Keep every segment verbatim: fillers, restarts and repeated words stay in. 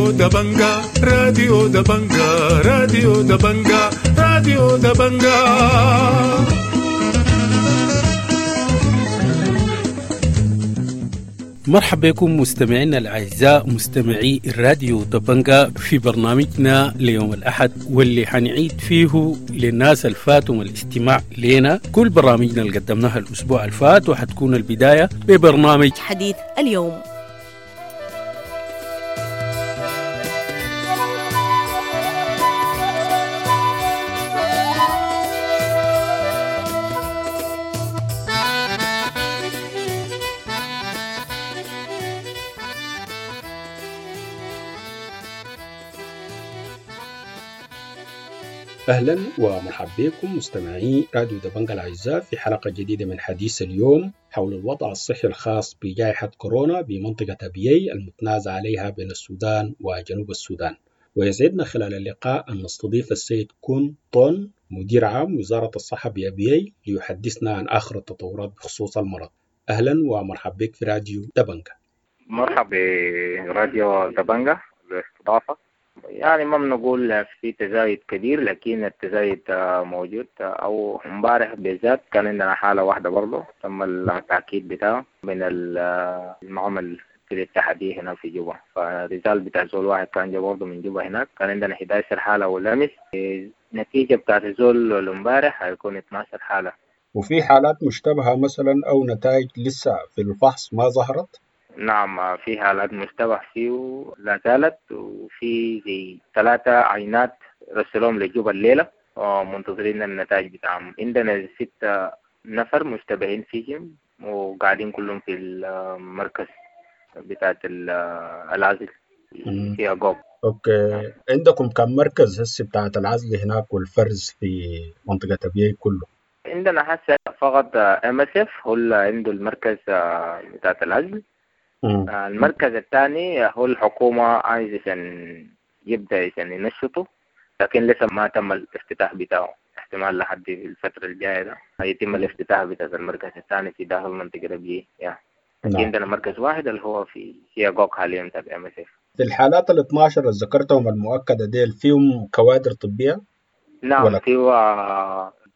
راديو دبنجا راديو دبنجا راديو دبنجا راديو دبنجا. مرحبا بكم مستمعينا الأعزاء مستمعي الراديو دبنجا في برنامجنا ليوم الأحد، واللي حنعيد فيه للناس الفاتهم الاستماع لنا كل برامجنا اللي قدمناها الأسبوع الفات، وحتكون البداية ببرنامج حديث اليوم. أهلا ومرحبا بكم مستمعي راديو دبنجا الأعزاء في حلقة جديدة من حديث اليوم حول الوضع الصحي الخاص بجائحة كورونا بمنطقة أبيي المتنازع عليها بين السودان وجنوب السودان. ويسعدنا خلال اللقاء أن نستضيف السيد كون طون مدير عام وزارة الصحة بأبيي ليحدثنا عن آخر التطورات بخصوص المرض. أهلا ومرحبا بك في راديو دبنجا. مرحبا براديو دبنجا بالاستضافة. يعني ما بنقول في تزايد كبير، لكن التزايد موجود. او امبارح بالذات كان عندنا حالة واحدة برضه تم التأكيد بتاعه من المعمل في الاتحادية هنا في جوبا، فالرسال بتاع زول واحد كان جا برضه من جوبا هناك. كان عندنا إحدى عشر حالة والأمس النتيجة بتاعت الزول امبارح هيكون اثنا عشر حالة. وفي حالات مشتبهة مثلا او نتائج لسه في الفحص ما ظهرت؟ نعم، في حالات مشتبه فيه لا زالت، وفي زي ثلاثة عينات رسلوهم لجوبا الليلة ومنتظرين النتائج بتاعهم. عندنا ستة نفر مشتبهين فيهم وقاعدين كلهم في المركز بتاعت العزل في أقوب. okay، عندكم كم مركز هسه بتاعت العزل هناك والفرز في منطقة أبيي كله؟ عندنا هسه فقط إم إس إف هو اللي عنده المركز بتاعت العزل. المركز الثاني هو الحكومة عايز عشان يبدأ عشان ينشطه، لكن لسه ما تم الافتتاح بتاعه. احتمال لحد الفترة الجاية ده هيتم الافتتاح بتاع المركز الثاني في داخل منطقة أبيي. لكن عندنا مركز واحد اللي هو في سياقوك حاليا تبع إم إس إف. في الحالات ال اثنا عشر اللي ذكرتهم المؤكدة ديل فيهم كوادر طبية؟ نعم، فيه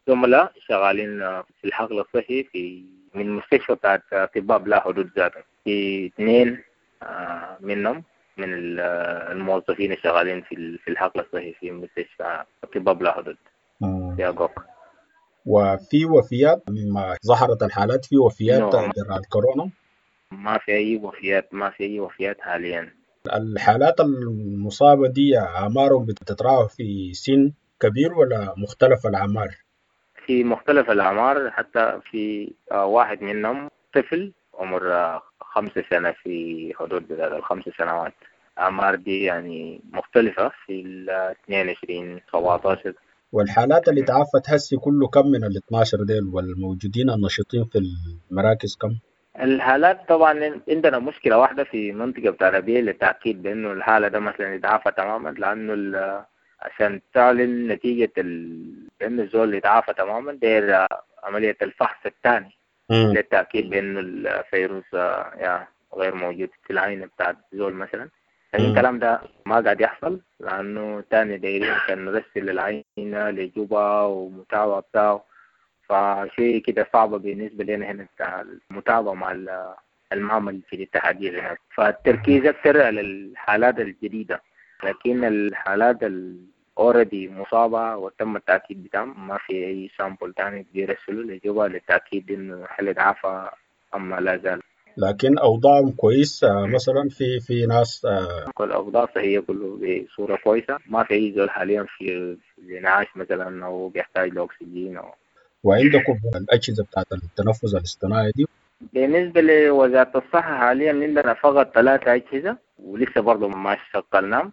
زملاء شغالين في الحقل الصحي في من مستشفى بتاعت أطباء بلا حدود ذاته. في اثنين منهم من الموظفين الشغالين في في الحقل الصحي في مستشفى أطباء بلا حدود في أقوك. وفي وفيات مما ظهرت الحالات؟ في وفيات جراء الكورونا؟ ما في أي وفيات، ما في أي وفيات حاليا. الحالات المصابة دي أعمارهم بتتراوح في سن كبير ولا مختلف الأعمار؟ في مختلف الأعمار، حتى في واحد منهم طفل عمر خمس سنة، في حدود الخمس سنوات. أعمار دي يعني مختلفة في ال اثنين وعشرين سبعة عشر. والحالات اللي تعافت هسي كله كم من ال اثنا عشر ديل، والموجودين النشيطين في المراكز كم؟ الحالات طبعا عندنا مشكلة واحدة في منطقة بتاع أبيي للتأكيد بأنه الحالة ده مثلا يتعافى تماما، لأنه عشان تعلن نتيجة ال... بأنه الزول يتعافى تماما داير عملية الفحص الثاني للتأكيد بأنه الفيروس يعني غير موجود في العينة بتاعت الزول مثلا. لكن الكلام ده ما قاعد يحصل، لأنه تاني دايرين عشان نرسل العينة لجوبا ومتابعة بتاعه، فشيء كده صعبة بالنسبة لنا هنا بتاع المتابعة مع المعمل في الاتحادية هناك. فالتركيز أكثر على الحالات الجديدة، لكن الحالات already مصابة وتم التأكيد بتاعهم ما في أي sample تاني بيرسلوا لجوبا للتأكيد إنه هل اتعافى أم لا زال. لكن أوضاعهم كويس مثلا؟ في في ناس كل أوضاع صحية كله بصورة كويسة، ما في أي زول حاليا في الإنعاش مثلا أو بيحتاج لأكسجين أو. وعندكم الأجهزة بتاعت التنفس الاصطناعي دي؟ بالنسبة لوزارة الصحة حاليا عندنا فقط ثلاثة أجهزة ولسه برضه ما شغلناهم.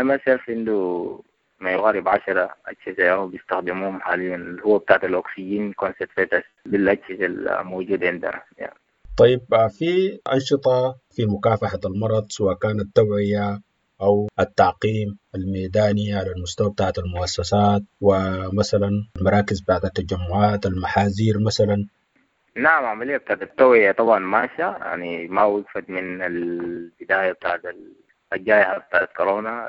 إم إس إف عنده ما يقارب عشرة أجهزة بيستخدموهم حاليا، اللي هو بتاعت الأكسجين concentrators بالأجهزة الموجودة عندنا يعني. طيب، في أنشطة في مكافحة المرض سواء كانت توعية أو التعقيم الميداني على المستوى بتاعت المؤسسات ومثلا المراكز بتاعت التجمعات، المحاذير مثلا؟ نعم، عملية بتاعت التوعية طبعا ماشية، يعني ما وقفت من البداية بتاعت الجائحة بتاعت كورونا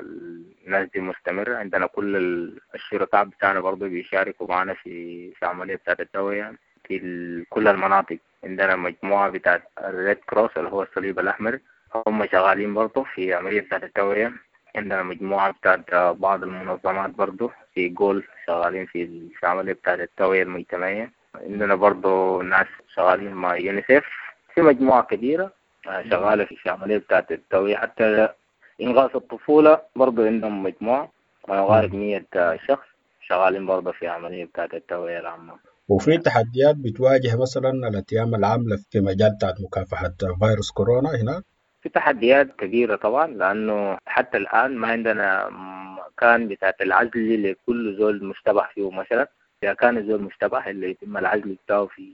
الناس دي مستمرة. عندنا كل الشركاء بتاعنا برضو بيشاركوا معنا في في عملية بتاعت التوعية في كل المناطق. عندنا مجموعة بتاعت ال Red Cross اللي هو الصليب الأحمر، هم شغالين برضو في عملية بتاعت التوعية. عندنا مجموعة بتاعت بعض المنظمات برضو في جول شغالين في عملية بتاعت التوعية المجتمعية. عندنا برضو ناس شغالين مع يونيسف، في مجموعة كبيرة شغالة في عملية بتاعت التوعية. حتى إنغاث الطفولة برضو عندهم مجموعة ما يقارب مية شخص شغالين برضو في عملية بتاعت التوعية العامة. وفي تحديات بتواجه مثلا الأتيام العاملة في مجال بتاعت مكافحة فيروس كورونا هناك؟ في تحديات كبيرة طبعا، لأنه حتى الآن ما عندنا مكان بتاعت العزل لكل زول مشتبه فيه. مثلا إذا كان الزول مشتبه اللي يتم العزل بتاعه في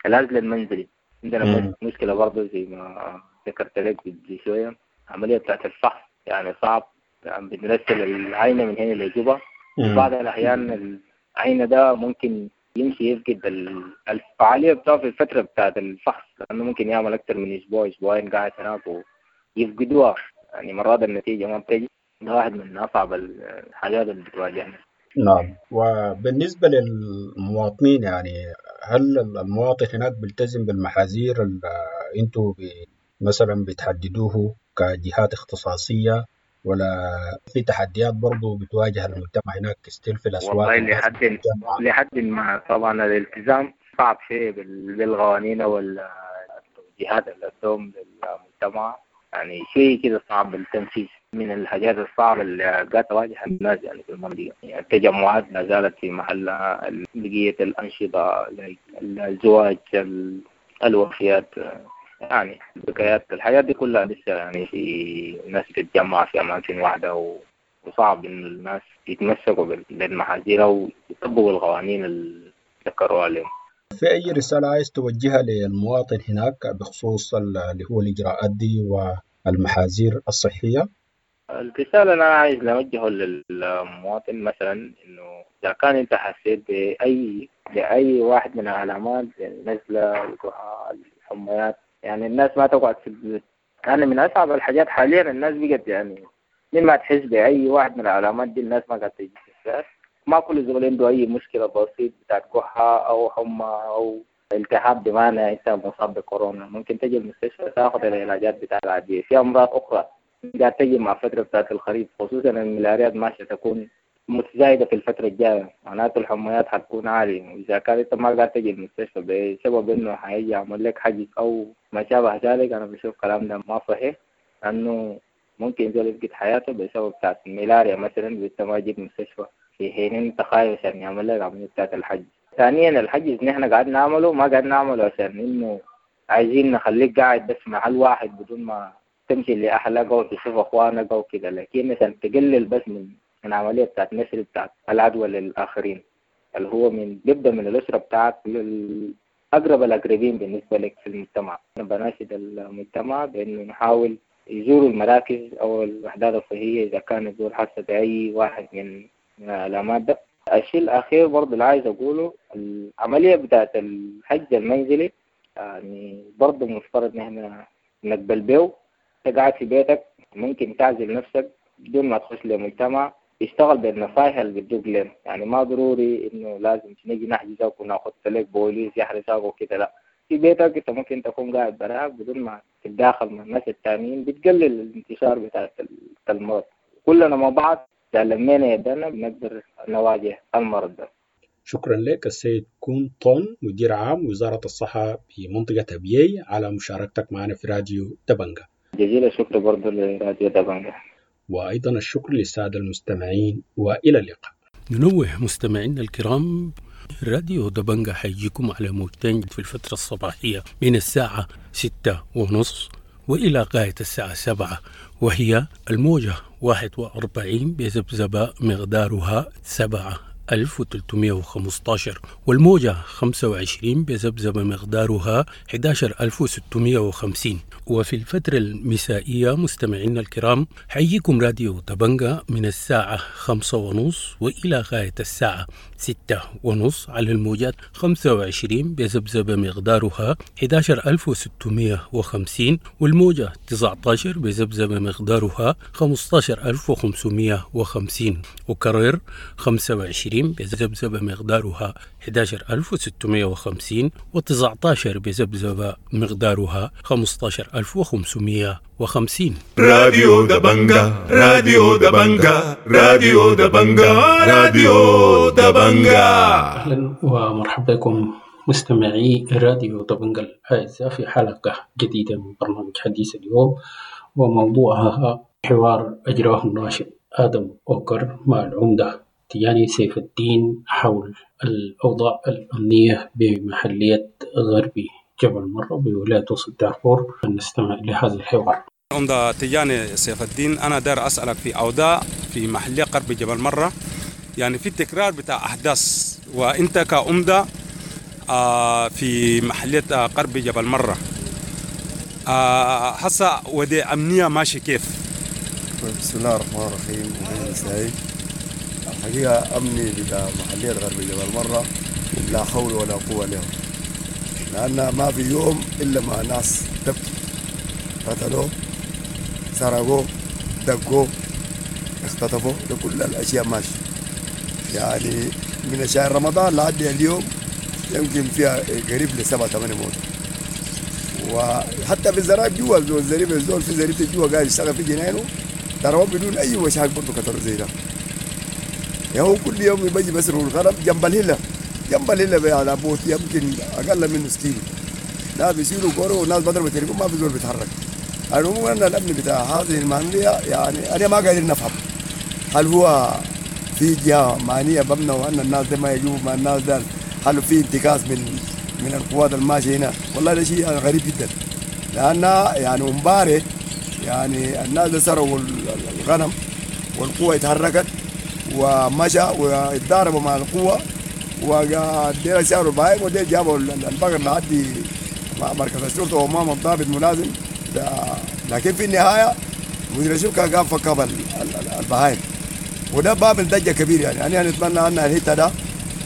العزل المنزلي. عندنا مم. مشكلة برضه زي ما ذكرت لك قبل شوية، عملية بتاعت الفحص يعني صعب، يعني بنرسل العينة من هنا لجوبا. بعض الأحيان العينة ده ممكن يمشي يفقد الفعالية بتاعه في الفترة بتاعت الفحص، لأنه ممكن يعمل أكثر من أسبوع أسبوعين قاعد هناك ويفقدوها، يعني مرات النتيجة ما بتجي. ده واحد من أصعب الحاجات اللي بتواجهنا. نعم. وبالنسبة للمواطنين، يعني هل المواطن هناك بيلتزم بالمحاذير اللي انتوا مثلا بتحددوه كجهات اختصاصية، ولا في تحديات برضو بتواجه المجتمع هناك still في الأسواق؟ والله لحد لحد ما طبعا الالتزام صعب شيء بالقوانين والتوجيهات اللي تدوم للمجتمع، يعني شيء كده صعب التنفيذ. من الحاجات الصعبة اللي قاعدة تواجه الناس يعني في المنطقة، يعني التجمعات ما زالت في محلها، بقية الأنشطة الزواج، الوفيات، يعني البكايات، الحاجات دي كلها لسه يعني في ناس تتجمع في أماكن واحدة، وصعب إن الناس يتمسكوا بالمحاذير أو يطبقوا القوانين اللي ذكروها عليهم. في أي رسالة عايز توجهها للمواطن هناك بخصوص اللي هو الإجراءات دي والمحاذير الصحية؟ الرسالة اللي أنا عايز نوجهه للمواطن مثلا إنه إذا كان أنت حسيت بأي بأي واحد من العلامات زي النزلة، الكحة، الحميات، يعني الناس ما تقعد في البيوت. يعني من أصعب الحاجات حاليا الناس بقت يعني مما تحس بأي واحد من العلامات دي الناس ما قاعد تجي في. ما كل زول عنده أي مشكلة بسيط بتاعت كحة أو حمى أو التهاب بمعنى أنت مصاب بكورونا، ممكن تجي المستشفى تاخذ العلاجات بتاعت العادية. في أمراض أخرى قاعد تجي مع فترة بتاعت الخريف، خصوصا الملاريات ماشية تكون متزايدة في الفترة الجاية، معناته الحميات حتكون عالية. وإذا كان أنت ما قاعد تجي المستشفى بسبب إنه حيجي يعمل لك حجز أو ما شابه ذلك، أنا بشوف كلام ده ما صحيح، لأنه ممكن زول يفقد حياته بسبب بتاعت الملاريا مثلا، وأنت ما جيت المستشفى في حين أنت خايف عشان يعمل لك عملية بتاعت الحجز. ثانيا الحجز نحن قاعد نعمله ما قاعد نعمله عشان إنه عايزين نخليك قاعد بس محل واحد بدون ما تمشي لأهلك أو تشوف أخوانك أو كده، لكن عشان تقلل بس من من عملية بتاعت نشر بتاعت العدوى للآخرين، اللي هو من بيبدأ من الأسرة بتاعت للأقرب الأقربين بالنسبة لك في المجتمع. أنا بناشد المجتمع بإنه نحاول يزوروا المراكز أو الوحدات الصحية إذا كان الزول حاسة بأي واحد من العلامات ده. الشيء الأخير برضه اللي عايز أقوله، العملية بتاعت الحج المنزلي يعني برضه مفترض نحن نقبل به. أنت قاعد في بيتك ممكن تعزل نفسك بدون ما تخش لمجتمع، يشتغل بالنصائح اللي بتدوق لهم، يعني ما ضروري إنه لازم نيجي نحجزك وناخذ لك بوليس يحرسك وكده، لا، في بيتك أنت ممكن تكون قاعد براك بدون ما تتداخل مع الناس التانيين، بتقلل الانتشار بتاع المرض. كلنا مع بعض لمينا يدنا بنقدر نواجه المرض ده. شكرا لك السيد كون طون، مدير عام وزارة الصحة بمنطقة أبيي، على مشاركتك معنا في راديو دبنجة. جزيل الشكر برضو لراديو دبنجة، وأيضا الشكر للسادة المستمعين، وإلى اللقاء. ننوه مستمعينا الكرام، راديو دبنجة حيجيكم على موجتين في الفترة الصباحية من الساعة ستة ونص وإلى غاية الساعة سبعة، وهي الموجة واحد وأربعين بذبذبة مقدارها سبعة ألف وثلاثمائة وخمسة عشر، والموجة خمسة وعشرين بذبذبة مقدارها أحد عشر ألف وستمائة وخمسين. وفي الفترة المسائية مستمعينا الكرام حييكم راديو دبنجة من الساعة خمسة ونص وإلى غاية الساعة ستة ونص على الموجات خمسة وعشرين بذبذبة مقدارها أحد عشر ألف وستمائة وخمسين، والموجة تسعة عشر بذبذبة مقدارها خمسة عشر ألف وخمسمائة وخمسين، وكرر خمسة وعشرين بذبذبة مقدارها أحد عشر ألف وستمائة وخمسين، وتسعة عشر بذبذبة مقدارها خمسة عشر ألف وخمسمائة وخمسين. راديو دبنجا، راديو دبنجا، راديو دبنجا، راديو دبنجا. أهلا ومرحبا بكم مستمعي راديو دبنجا الأعزاء في حلقة جديدة من برنامج حديث اليوم، وموضوعها حوار أجراه الناشط آدم أوكر مع العمدة تياني سيف الدين حول الأوضاع الأمنية بمحلية غربي جبل مرة بولاية وسط دارفور. نستمع لهذا الحوار. عمدة تياني سيف الدين، أنا دار أسألك في أوضاع في محلية غرب جبل مرة، يعني في تكرار بتاع أحداث، وأنت كعمدة في محلية غرب جبل مرة هسه ودي أمنية ماشي كيف؟ بسم الله الرحمن الرحيم. وبه الحقيقة أمني بتاع محلية غرب جبل مرة لا حول ولا قوة له، لأن ما في يوم إلا مع ناس تبكي، قتلوه، سرقوه، دقوه، اختطفوه، لكل الأشياء ماشي. يعني من شهر رمضان لحد اليوم يمكن فيها قريب لسبعة ثمانية موت، وحتى في الزرايب جوا الزريبة الزول في زريبة جوا قاعد يشتغل في جنينه ترى بدون أي مشاكل برضه كتروا زي ده. يعني هو كل يوم بيجي بسرق الغنم جنب الهلة، جنب الهلة على بوت يمكن أقل من نص كيلو، لا بيشيلوا كورة والناس بضرب التليفون ما في زول بيتحرك. العموم أن الأمن بتاع هذه المعنية يعني أنا ما قادر نفهم هل هو في جهة معنية بمنع وأن الناس ده ما يجوا مع الناس ده، هل في انتكاس من من القوات الماشية هنا؟ والله ده شيء يعني غريب جدا، لأن يعني امبارح يعني الناس ده سرقوا الغنم والقوة اتحركت ومشى واتضاربوا مع القوة ودينا شالوا البهايم ودينا جابوا البقر لحد مركز الشرطة وأمام الضابط ملازم، لكن في النهاية مدير الشركة قام فك البهايم، وده باب ضجة كبير. يعني أنا نتمنى أن الحتة ده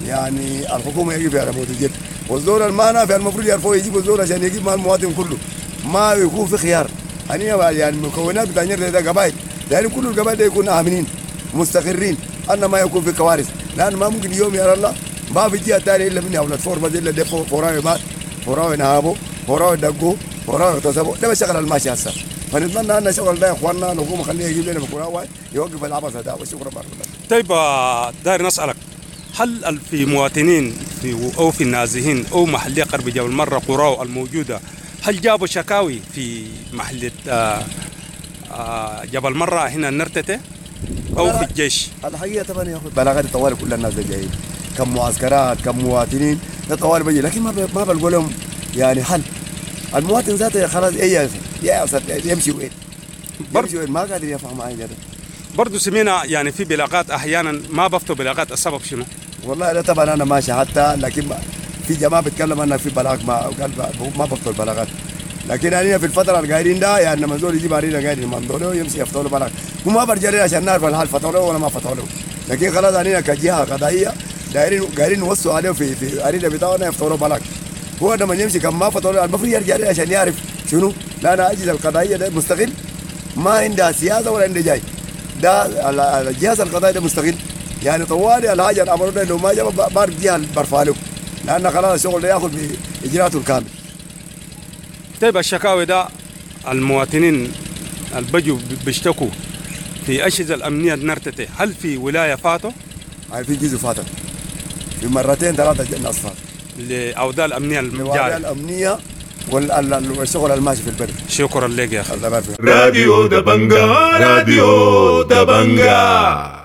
يعني الحكومة يجيب على موت الجد، والزول المانع في المفروض يعرفوا يجيبوا الزول عشان يجيب مع المواطن كله، ما يكون في خيار. يعني المكونات بتاع ده قبائل، يعني كل القبائل ده يكون آمنين مستقرين، أن ما يكون في كوارث، لأن ما ممكن يوم يا الله ما في جهة ثانية إلا مني أولاد فور بس إلا دفوا فوراوي مات، فوراوي نهابوا، فوراوي دقوا، فوراوي اغتصبوا، ده بشغل الماشي هسه. فنتمنى أن شغل ده يا إخواننا الحكومة خليه يجيب لنا بكراوي يوقف العبث هذا. وشكرا بارك الله. طيب داير نسألك، هل في مواطنين في أو في النازحين أو محلية غرب جبل مرة قراو الموجودة هل جابوا شكاوي في محلية جبل مرة هنا النرتته أو في الجيش؟ الحقيقة طبعا يا أخوي بلاغات طوال كل الناس جايين، كم معسكرات كم مواطنين ده طوال بيجي، لكن ما ما بلقوا لهم يعني حل. المواطن ذاته خلاص ايه يا يمشي وين؟ يمشي وين؟ ما قادر يفهم حاجة. برضه سمينا يعني في بلاغات احيانا ما بفتوا بلاغات، السبب شنو؟ والله لا طبعا انا ماشي حتى، لكن في جماعة بتكلم انها في بلاغ ما قال ما بفتوا البلاغات، لكن انا في الفترة القايرين ده يعني لما زول يجيب علينا قايرين ما يمشي يفتوا له بلاغ، وما برجع لنا عشان نعرف الحال فتحوا له ولا ما فتحوا له، لكن خلاص علينا كجهه قضائية دايرين قايرين نوصوا عليه في في ارينا بتاعنا يفتحوا له بلاغ. هو لما يمشي كم ما فتحوا له المفروض يرجع لنا عشان يعرف شنو، لان الاجهزة القضائية ده مستقل، ما عندها سياسة ولا عندها جاي، ده الجهاز القضائي ده مستقل، يعني طوالي الحاجة اللي عملوها لو ما جاب بعرف جهة برفع له، لان خلاص الشغل ده ياخذ باجراءاته الكامل. طيب الشكاوي ده المواطنين البجوا بيشتكوا في اجهزة الامنية نرتته، هل في ولاية فاتوا؟ هاي في جزء فاتت في مرتين ثلاثة الناس فاتت لاوضاع الامنية الجارية الامنية والشغل الماشي في البلد. شكرا لك يا اخي. راديو دبنجا، راديو دبنجا.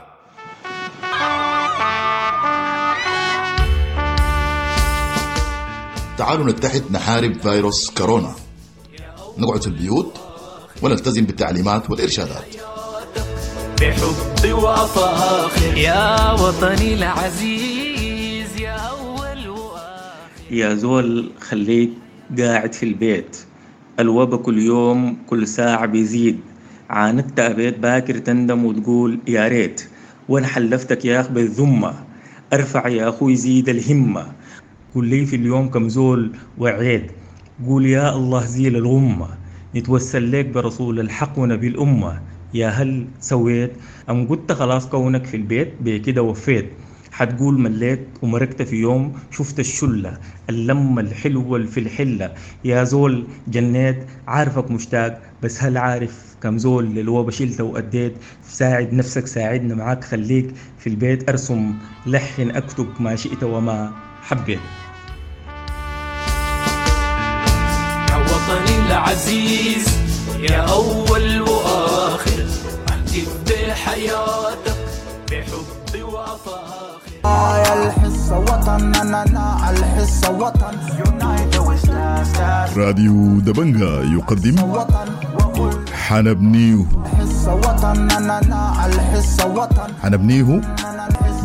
تعالوا نتحد نحارب فيروس كورونا، نقعد في البيوت ونلتزم بالتعليمات والإرشادات. بحب وأفاخر يا وطني العزيز يا أول وآخر. يا زول خليك قاعد في البيت، الوبا كل يوم كل ساعة بيزيد، عاندت أبيت باكر تندم وتقول يا ريت، وأنا حلفتك يا أخ بالذمة ارفع يا اخوي زيد الهمة. قول لي في اليوم كم زول وعيت، قول يا الله زيل الغمة. نتوسل لك برسول الحق ونبي الأمة. يا هل سويت أم قلت خلاص كونك في البيت بكده وفيت؟ حتقول مليت ومرقت في يوم شفت الشلة اللمة الحلوة اللي في الحلة. يا زول جنيت عارفك مشتاق، بس هل عارف كم زول للوبا شلت وأديت؟ ساعد نفسك ساعدنا معاك، خليك في البيت، أرسم لحن أكتب ما شئت وما حبيت. يا وطني العزيز يا أول وآخر، أهتف بحياتك بحب وأفاخر. الحصة وطن، أنا الحصة وطن. راديو دبنجا يقدم حنبنيه. الحصة وطن، أنا الحصة وطن. حنبنيه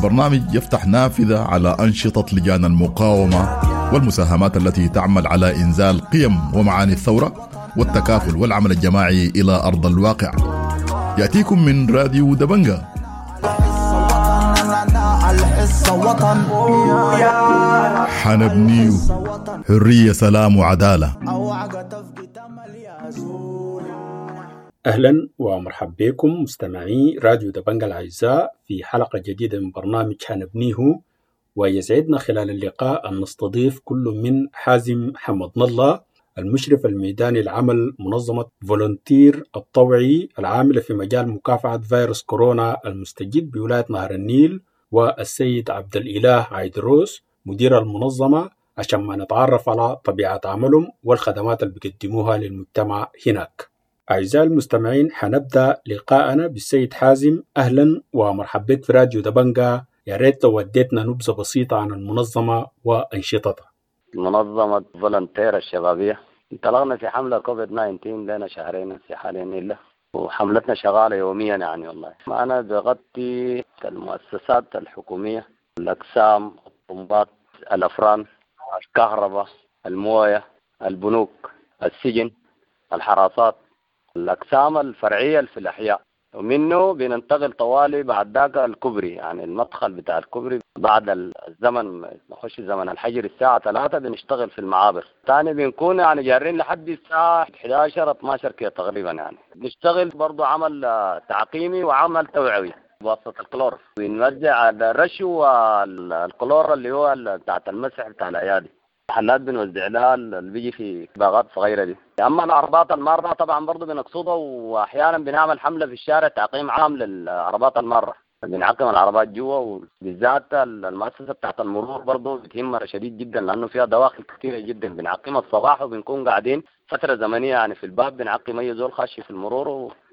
برنامج يفتح نافذة على أنشطة لجان المقاومة والمساهمات التي تعمل على إنزال قيم ومعاني الثورة والتكافل والعمل الجماعي إلى أرض الواقع. يأتيكم من راديو دبنجا. حنبنيه حرية سلام وعدالة. أهلا ومرحبا بكم مستمعي راديو دبنجا الأعزاء في حلقة جديدة من برنامج حنبنيه، ويسعدنا خلال اللقاء أن نستضيف كل من حازم حمد الله المشرف الميداني لعمل منظمة فولنتير الطوعي العاملة في مجال مكافحة فيروس كورونا المستجد بولاية نهر النيل، والسيد عبد الإله عيدروس مدير المنظمة، عشان ما نتعرف على طبيعة عملهم والخدمات اللي بيقدموها للمجتمع هناك. أعزائي المستمعين، حنبدأ لقاءنا بالسيد حازم. أهلا ومرحبا بك في راديو دبنجا. يا ريت لو وديتنا نبذة بسيطة عن المنظمة وأنشطتها. منظمة فولنتير الشبابية انطلقنا في حملة كوفيد تسعة عشر لنا شهرين في حاليا إلا، وحملتنا شغالة يوميا يعني. والله أنا بغطي المؤسسات الحكومية، الأقسام، الطنبات، الأفران، الكهرباء، الموية، البنوك، السجن، الحراسات، الأقسام الفرعية في الأحياء. ومنه بننتقل طوالي بعد ذاك الكوبري، يعني المدخل بتاع الكوبري بعد الزمن نخش زمن الحجر الساعة ثلاثة بنشتغل في المعابر. ثاني بنكون يعني جارين لحد الساعة إحدى عشر اثنا عشر كده تقريبا. يعني بنشتغل برضو عمل تعقيمي وعمل توعوي بواسطة الكلور، بنوزع الرش والكلور اللي هو بتاعت المسح بتاع الأيادي. محلات بنوزع لها اللي بيجي في باغات صغيرة دي. اما العربات المارة طبعا برضو بنقصدها، واحيانا بنعمل حمله في الشارع تعقيم عام للعربات المارة، بنعقم العربات جوا. وبالذات المؤسسة بتاعت المرور برضو بتهمنا شديد جدا لانه فيها دواخل كثيرة جدا، بنعقمها الصباح وبنكون قاعدين فترة زمنية يعني في الباب بنعقم اي زول خش في المرور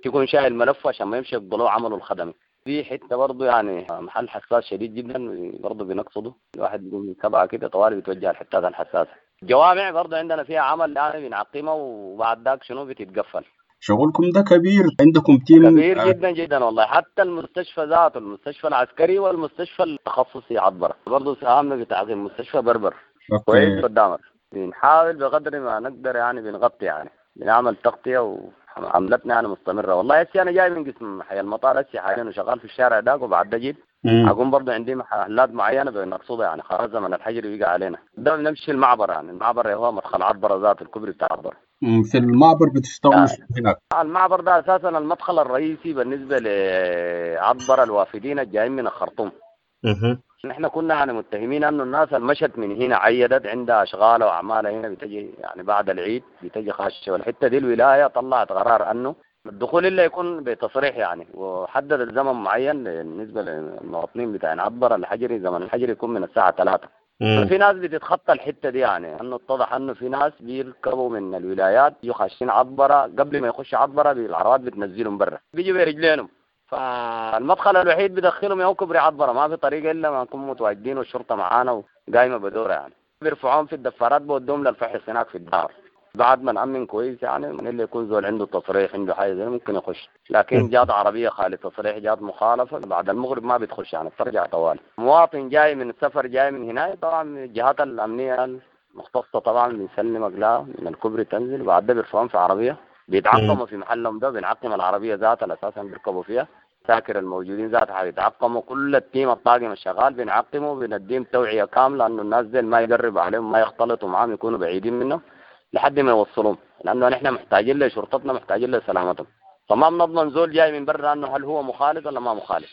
ويكون شايل ملفه عشان ما يمشي يقبلوه عمله الخدمي. في حتة برضه يعني محل حساس شديد جدا برضه بنقصده، الواحد بيقوم من سبعة كده طوالي بيتوجه الحتات الحساسة. الجوامع برضه عندنا فيها عمل يعني بنعقمها وبعد ذاك شنو بتتقفل. شغلكم ده كبير، عندكم تيم كبير جدا جدا والله. حتى المستشفى ذاته، المستشفى العسكري والمستشفى التخصصي عبره برضه ساهمنا بتعقيم مستشفى بربر كويس قدامك. بنحاول بقدر ما نقدر يعني بنغطي يعني بنعمل تغطيه و عملتنا يعني مستمرة والله. هسي أنا جاي من قسم حي المطار هسي حاليا وشغال في الشارع داك، وبعد ده جيت أقوم برضه عندي محلات معينة بنقصدها يعني خلاص زمن الحجر بيقع علينا. ده بنمشي المعبر، يعني المعبر هو مدخل عبرة ذات الكوبري بتاع عبرة. في المعبر بتشتغلوا يعني هناك؟ المعبر ده أساسا المدخل الرئيسي بالنسبة لعبرة الوافدين الجايين من الخرطوم. نحن كنا يعني متهمين انه الناس المشت من هنا عيدت عندها اشغال واعمالها هنا بتجي يعني بعد العيد بتجي خاشه، والحتة دي الولاية طلعت قرار انه الدخول الا يكون بتصريح يعني، وحدد الزمن معين بالنسبة للمواطنين بتاع عبر الحجري، زمن الحجري يكون من الساعة ثلاثة. ففي ناس بتتخطى الحتة دي يعني، انه اتضح انه في ناس بيركبوا من الولايات يخشين عبره قبل ما يخش عبره بالعربات بتنزلهم برا، بيجوا برجلينهم. فالمدخل الوحيد بدخلهم يا كوبري عبره، ما في طريقه الا ما نكون متواجدين والشرطة معانا وقايمه بدورها يعني. بيرفعوهم في الدفارات بودوهم للفحص هناك في الدار. بعد ما نأمن كويس يعني من اللي يكون زول عنده تصريح عنده حاجة زي ممكن يخش، لكن جات عربية خالي تصريح جات مخالفة بعد المغرب ما بتخش يعني بترجع طوال. مواطن جاي من السفر جاي من هنا طبعا من الجهات الامنية المختصة طبعا بنسلمك لا من الكوبري تنزل، وبعد ده بيرفعوهم في عربية بيتعقموا في محلهم ده، بنعقم العربية ذاتها اساسا بيركبوا فيها، العساكر الموجودين ذاتها حيتعقموا، كل ال team الطاقم الشغال بنعقمه، بنديهم توعيه كاملة انه الناس دي ما يقربوا عليهم، ما يختلطوا معاهم، يكونوا بعيدين منهم لحد ما يوصلوهم، لانه نحن محتاجين لشرطتنا، محتاجين لسلامتهم. فما بنضمن زول جاي من برا انه هل هو مخالط ولا ما مخالط،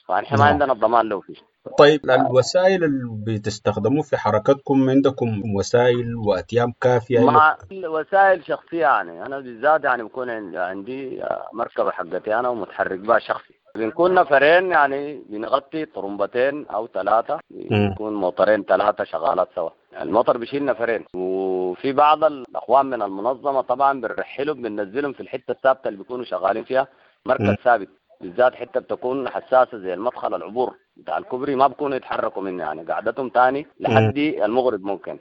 فنحن ما عندنا الضمان له فيه. طيب الوسائل اللي بتستخدموه في حركتكم، عندكم وسائل وأتيام كافية؟ مع وسائل شخصية يعني، أنا بالذات يعني بكون عندي مركبة حقتي أنا ومتحرك بها شخصي، بنكون نفرين يعني بنغطي طرمبتين أو ثلاثة، بيكون موتورين ثلاثة شغالات سوا، الموتور بيشيل نفرين. وفي بعض الأخوان من المنظمة طبعا بنرحلهم بننزلهم في الحتة الثابتة اللي بيكونوا شغالين فيها، مركز ثابت، بالذات حتة بتكون حساسة زي المدخل العبور بتاع الكوبري، ما بكونوا يتحركوا منه يعني، قعدتهم تاني لحد المغرب ممكن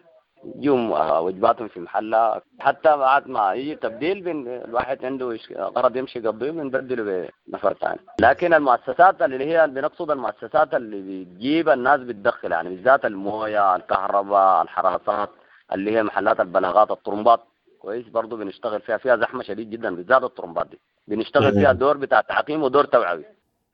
يوم وجباتهم في محلها، حتى بعد ما يجي تبديل بين الواحد عنده غرض يمشي قضية بنبدله بنفر ثاني. لكن المؤسسات اللي هي بنقصد المؤسسات اللي بتجيب الناس بتدخل يعني، بالذات المويه، الكهرباء، الحراسات اللي هي محلات البلاغات، الطرمبات كويس برضو بنشتغل فيها، فيها زحمة شديد جدا بالذات الطرمبات دي بنشتغل فيها دور بتاع تعقيم ودور توعوي.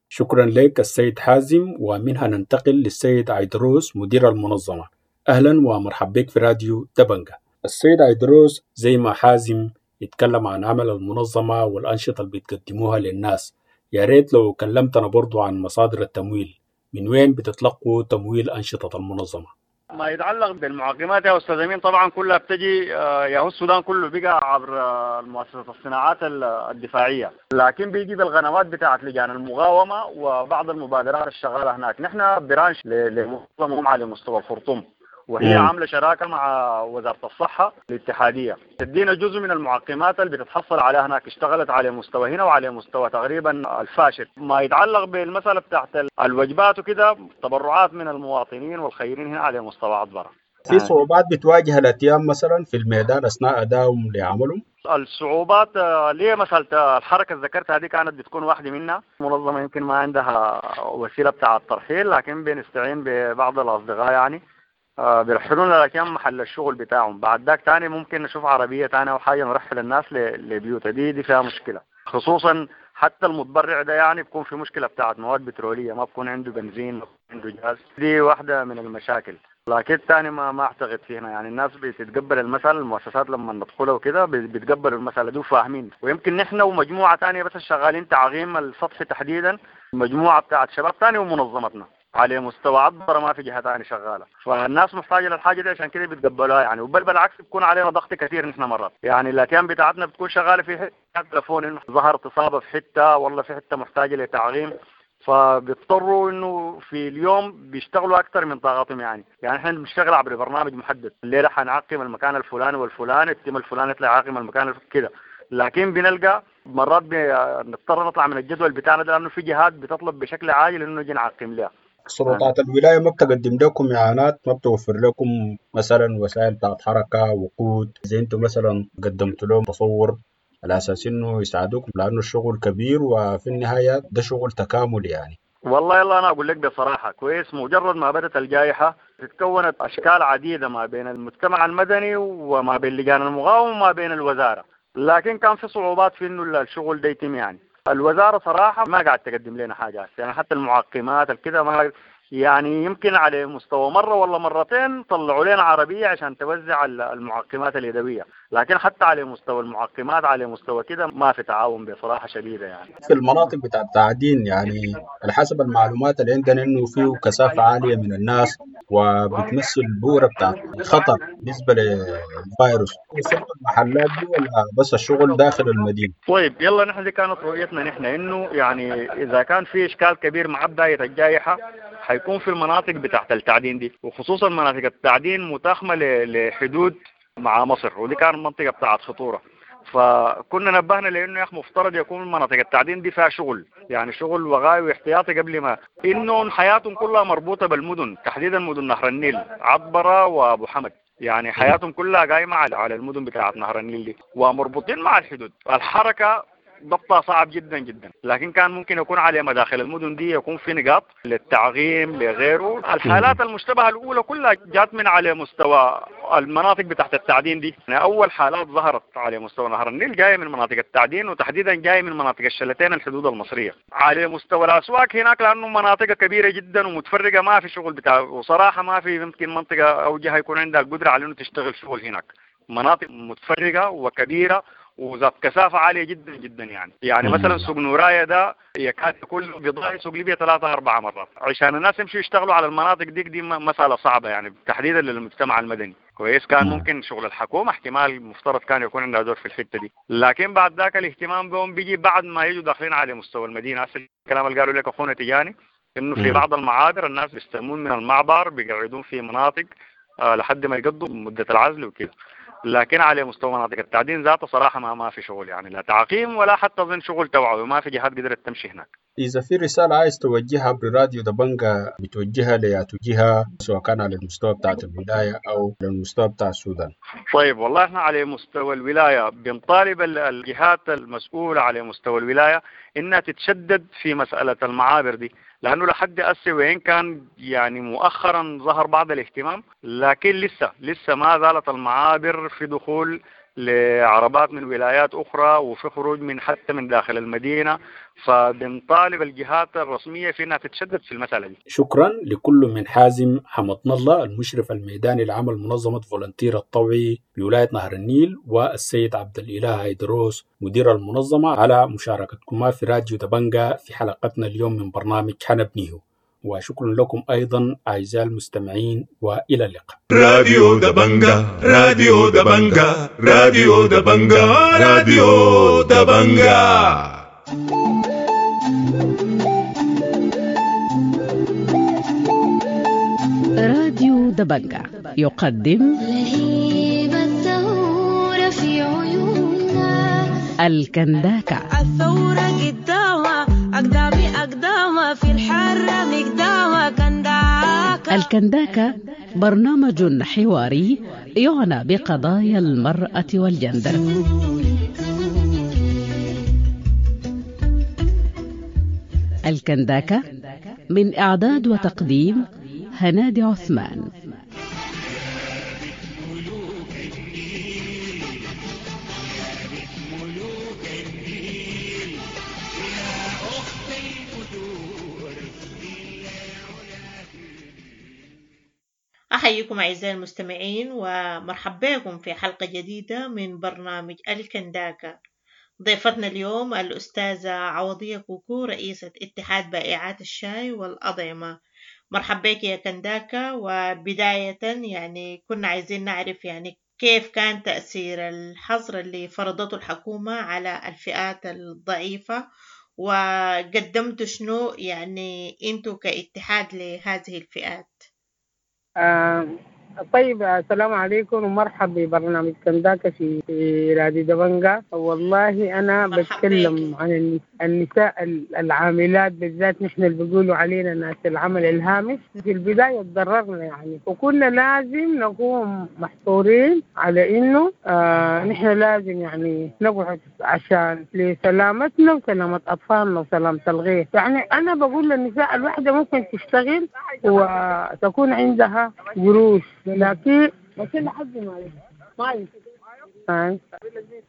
شكرا لك السيد حازم، ومنها ننتقل للسيد عيدروس مدير المنظمة. أهلا ومرحبا بك في راديو دبنجة. السيد عيدروس، زي ما حازم يتكلم عن عمل المنظمة والأنشطة اللي بتقدموها للناس، يا ريت لو كلمتنا برضو عن مصادر التمويل، من وين بتتلقوا تمويل أنشطة المنظمة؟ ما يتعلق بالمعقمات يا أستاذ أمين طبعا كلها بتجي، يا هو السودان كله بقى عبر مؤسسة الصناعات الدفاعية، لكن بيجي بالغنمات بتاعت لجان المقاومة وبعض المبادرات الشغالة هناك. نحن برانش لمنظمة على مستوى الخرطوم، وهي عاملة شراكة مع وزارة الصحة الاتحادية، تدينا جزء من المعقمات اللي بتتحصل عليها هناك، اشتغلت على مستوى هنا وعلى مستوى تقريبا الفاشل. ما يتعلق بالمسألة بتاعت الوجبات وكده، تبرعات من المواطنين والخيرين هنا على مستوى عطبرة. في صعوبات بتواجه الأتيام مثلا في الميدان أثناء أدائهم لعملهم؟ الصعوبات ليه مسألة الحركة اللي ذكرتها دي كانت بتكون واحدة منها. منظمة يمكن ما عندها وسيلة بتاع الترحيل، لكن بنستعين ببعض الأصدقاء يعني بيرحلونا لكن محل الشغل بتاعهم. بعد ذاك تاني ممكن نشوف عربية تانية أو حاجة نرحل الناس لبيوتها. دي دي فيها مشكلة، خصوصا حتى المتبرع ده يعني بيكون في مشكلة بتاعت مواد بترولية، ما بكون عنده بنزين، ما بكون عنده جاز، دي واحدة من المشاكل. لكن تاني ما ما اعتقد فينا يعني الناس بتتقبل المسألة، المؤسسات لما ندخلها وكده بيتقبلوا المسألة دي وفاهمين. ويمكن نحن ومجموعة تانية بس شغالين تعقيم السطح تحديدا، مجموعة بتاعت شباب تاني ومنظمتنا على مستوى عبر، ما في جهة ثانية شغالة، فالناس محتاجه للحاجة دي عشان كده بيتقبلوها يعني. وبل بالعكس بيكون علينا ضغط كثير نحن مرات يعني، الاتيام بتاعتنا بتكون شغالة في حتة تليفون انه ظهرت اصابه في حتة والله في حتة محتاجه لتعقيم، فبيضطروا انه في اليوم بيشتغلوا اكثر من طاقتهم يعني. يعني احنا بنشتغل عبر برنامج محدد، الليلة حنعقم المكان الفلاني والفلاني، التيم الفلاني يطلع يعقم المكان كده، لكن بنلقى مرات بنضطر نطلع من الجدول بتاعنا ده لانه في جهات بتطلب بشكل عاجل انه نجي نعقم لها. سلطات الولاية ما بتقدم لكم إعانات، ما بتوفر لكم مثلا وسائل بتاعت حركة، وقود، زي انتم مثلا قدمت لهم تصور على أساس إنه يساعدوكم، لأنه الشغل كبير وفي النهاية ده شغل تكامل يعني. والله يلا أنا أقول لك بصراحة كويس، مجرد ما بدأت الجائحة تتكونت أشكال عديدة ما بين المجتمع المدني وما بين لجان المقاومة وما بين الوزارة، لكن كان في صعوبات في إنه الشغل ده يتم يعني. الوزارة صراحة ما قاعد تقدم لنا حاجة يعني، حتى المعقمات الكده ما يعني، يمكن على مستوى مرة ولا مرتين طلعوا لنا عربية عشان توزع المعقمات اليدوية، لكن حتى على مستوى المعقمات على مستوى كده ما في تعاون بصراحة شديدة يعني. في المناطق بتاع التعدين يعني على حسب المعلومات اللي عندنا انه فيه كثافة عالية من الناس وبتمثل بورة بتاع خطر بالنسبة للفيروس، وصلت المحلات دي ولا بس الشغل داخل المدينة؟ طيب يلا نحن دي كانت رؤيتنا نحن انه يعني اذا كان في اشكال كبير مع بداية الجائحة حيكون في المناطق بتاعت التعدين دي، وخصوصا مناطق التعدين متاخمة لحدود مع مصر، ودي كانت منطقة بتاعت خطورة. فكنا نبهنا لانه يا اخي مفترض يكون مناطق التعدين دي فيها شغل، يعني شغل وغاوي واحتياطي قبل ما انه حياتهم كلها مربوطة بالمدن، تحديدا مدن نهر النيل، عطبرة وابو حمد، يعني حياتهم كلها قايمة على المدن بتاعت نهر النيل دي ومربوطين مع الحدود. الحركة ضبطها صعب جدا جدا، لكن كان ممكن يكون على مداخل المدن دي يكون في نقاط للتعقيم لغيره. الحالات المشتبهه الاولى كلها جات من على مستوى المناطق بتاعت التعدين دي. يعني اول حالات ظهرت على مستوى نهر النيل جاية من مناطق التعدين، وتحديدا جاية من مناطق الشلتين الحدود المصرية. على مستوى الاسواق هناك لانه مناطق كبيرة جدا ومتفرقه، ما في شغل بتاع، وصراحة ما في يمكن منطقة او جهة يكون عندها القدرة على انه تشتغل شغل هناك. مناطق متفرقة وكبيره وذات كثافة عالية جدا جدا. يعني يعني مثلا سوق نورايا ده يكاد يكون بضاعة سوق ليبيا ثلاثة أربعة مرات عشان الناس يمشوا يشتغلوا على المناطق دي. دي مسألة صعبة يعني تحديدا للمجتمع المدني. كويس، كان ممكن شغل الحكومة احتمال مفترض كان يكون عندها دور في الحتة دي، لكن بعد ذاك الاهتمام بهم بيجي بعد ما يجوا داخلين على مستوى المدينة. أصل الكلام اللي قالوا لك أخونا تجاني إنه في بعض المعابر الناس بيستلمون من المعبر بيقعدون في مناطق آه لحد ما يقضوا مدة العزل وكده، لكن على مستوى مناطق التعدين ذاته صراحة ما ما في شغل، يعني لا تعقيم ولا حتى أظن شغل توعوي، ما في جهات قدرت تمشي هناك. إذا في رسالة عايز توجهها براديو دبنجة بتوجهها لياتو جهة، سواء كان على المستوى بتاعت الولاية أو على المستوى بتاع السودان. طيب والله إحنا على مستوى الولاية بنطالب الجهات المسؤولة على مستوى الولاية إنها تتشدد في مسألة المعابر دي، لأنه لحد هسه وين كان يعني مؤخرا ظهر بعض الاهتمام، لكن لسه لسه ما زالت المعابر في دخول لعربات من ولايات أخرى وفي خروج من حتى من داخل المدينة، فبنطالب الجهات الرسمية في أنها تتشدد في المسألة دي. شكرا لكل من حازم حمدنا الله المشرف الميداني لعمل منظمة فولنتير الطوعي بولاية نهر النيل، والسيد عبد الإله هيدروس مدير المنظمة على مشاركتكما في راديو دبنجة في حلقتنا اليوم من برنامج حنبنيه. وشكرا لكم أيضا أعزائي المستمعين، وإلى اللقاء. راديو دبنجة، راديو دبنجة، راديو دبنجة، راديو دبنجة. راديو دبنجة يقدم لهيب الثورة في عيوننا الكنداكة. الثورة قدامها أقدامي أقدامها في الحرة مقدامها كنداكة. الكنداكة برنامج حواري يعنى بقضايا المرأة والجندر. الكنداكة من إعداد وتقديم هنادي عثمان. أحييكم أعزائي المستمعين ومرحبا بكم في حلقة جديدة من برنامج الكنداكة. ضيفتنا اليوم الأستاذة عوضية كوكو، رئيسة اتحاد بائعات الشاي والأطعمة. مرحبا بك يا كنداكة. وبداية يعني كنا عايزين نعرف يعني كيف كان تأثير الحظر اللي فرضته الحكومة على الفئات الضعيفة، وقدمتوا شنو يعني انتوا كاتحاد لهذه الفئات؟ آه طيب، السلام عليكم ومرحبا ببرنامج كنداكة في راديو دبنجة. والله أنا بتكلم عن النساء العاملات بالذات، نحن اللي بيقولوا علينا ناس العمل الهامش. في البداية تضررنا يعني، وكنا لازم نكون محصورين على إنه آه نحن لازم يعني نقعد عشان لسلامتنا وسلامة أطفالنا وسلامة الغير. يعني أنا بقول للنساء الواحدة ممكن تشتغل وتكون عندها قروش، لكن بس لحد ما ما آه.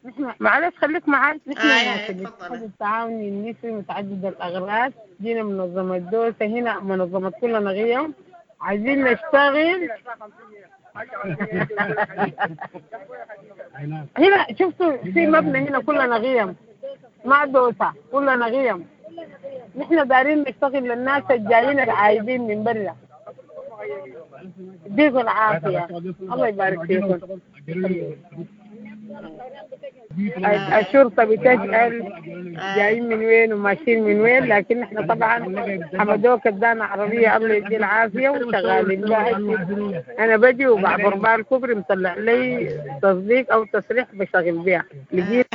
نحن معلش خليك معاي. نحن ناس الاتحاد التعاوني النسوي متعدد الأغراض، جينا منظمة دوسة هنا، منظمة كلنا غيم، عايزين نشتغل هنا. شفتوا في مبنى هنا كلنا غيم، ما دوسة، كلنا غيم. نحن دارين نشتغل للناس الجايين العايزين من برا. يديكم العافية، الله يبارك فيكم. الشرطة بتسأل جايين من وين وماشيين من وين، لكن احنا طبعا حمدوك ادانا عربية الله يديه العافية وشغالين بها. انا بجي وبعبر بها الكوبري مطلع لي تصديق او تصريح بشغل بها. لقيت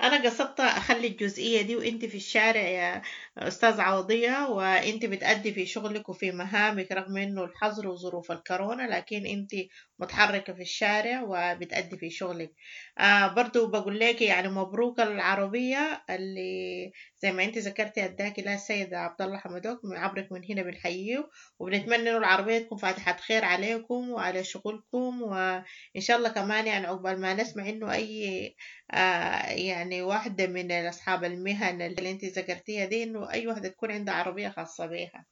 أنا قصدت أخلي الجزئية دي وأنت في الشارع يا أستاذ عوضية، وأنت بتأدي في شغلك وفي مهامك رغم إنه الحظر وظروف الكورونا، لكن أنت متحركة في الشارع وبتأدي في شغلك. آه برضو بقول لك يعني مبروك العربية اللي زي ما أنت ذكرتي أداكي لها السيد عبد الله حمدوك، عبرك من هنا بنحييه، وبنتمنى إنه العربية تكون فاتحة خير عليكم وعلى شغلكم، وإن شاء الله كمان يعني عقبال ما نسمع إنه أي آه يعني واحدة من أصحاب المهن اللي أنت ذكرتيها دي، إنه أي واحدة تكون عندها عربية خاصة بيها.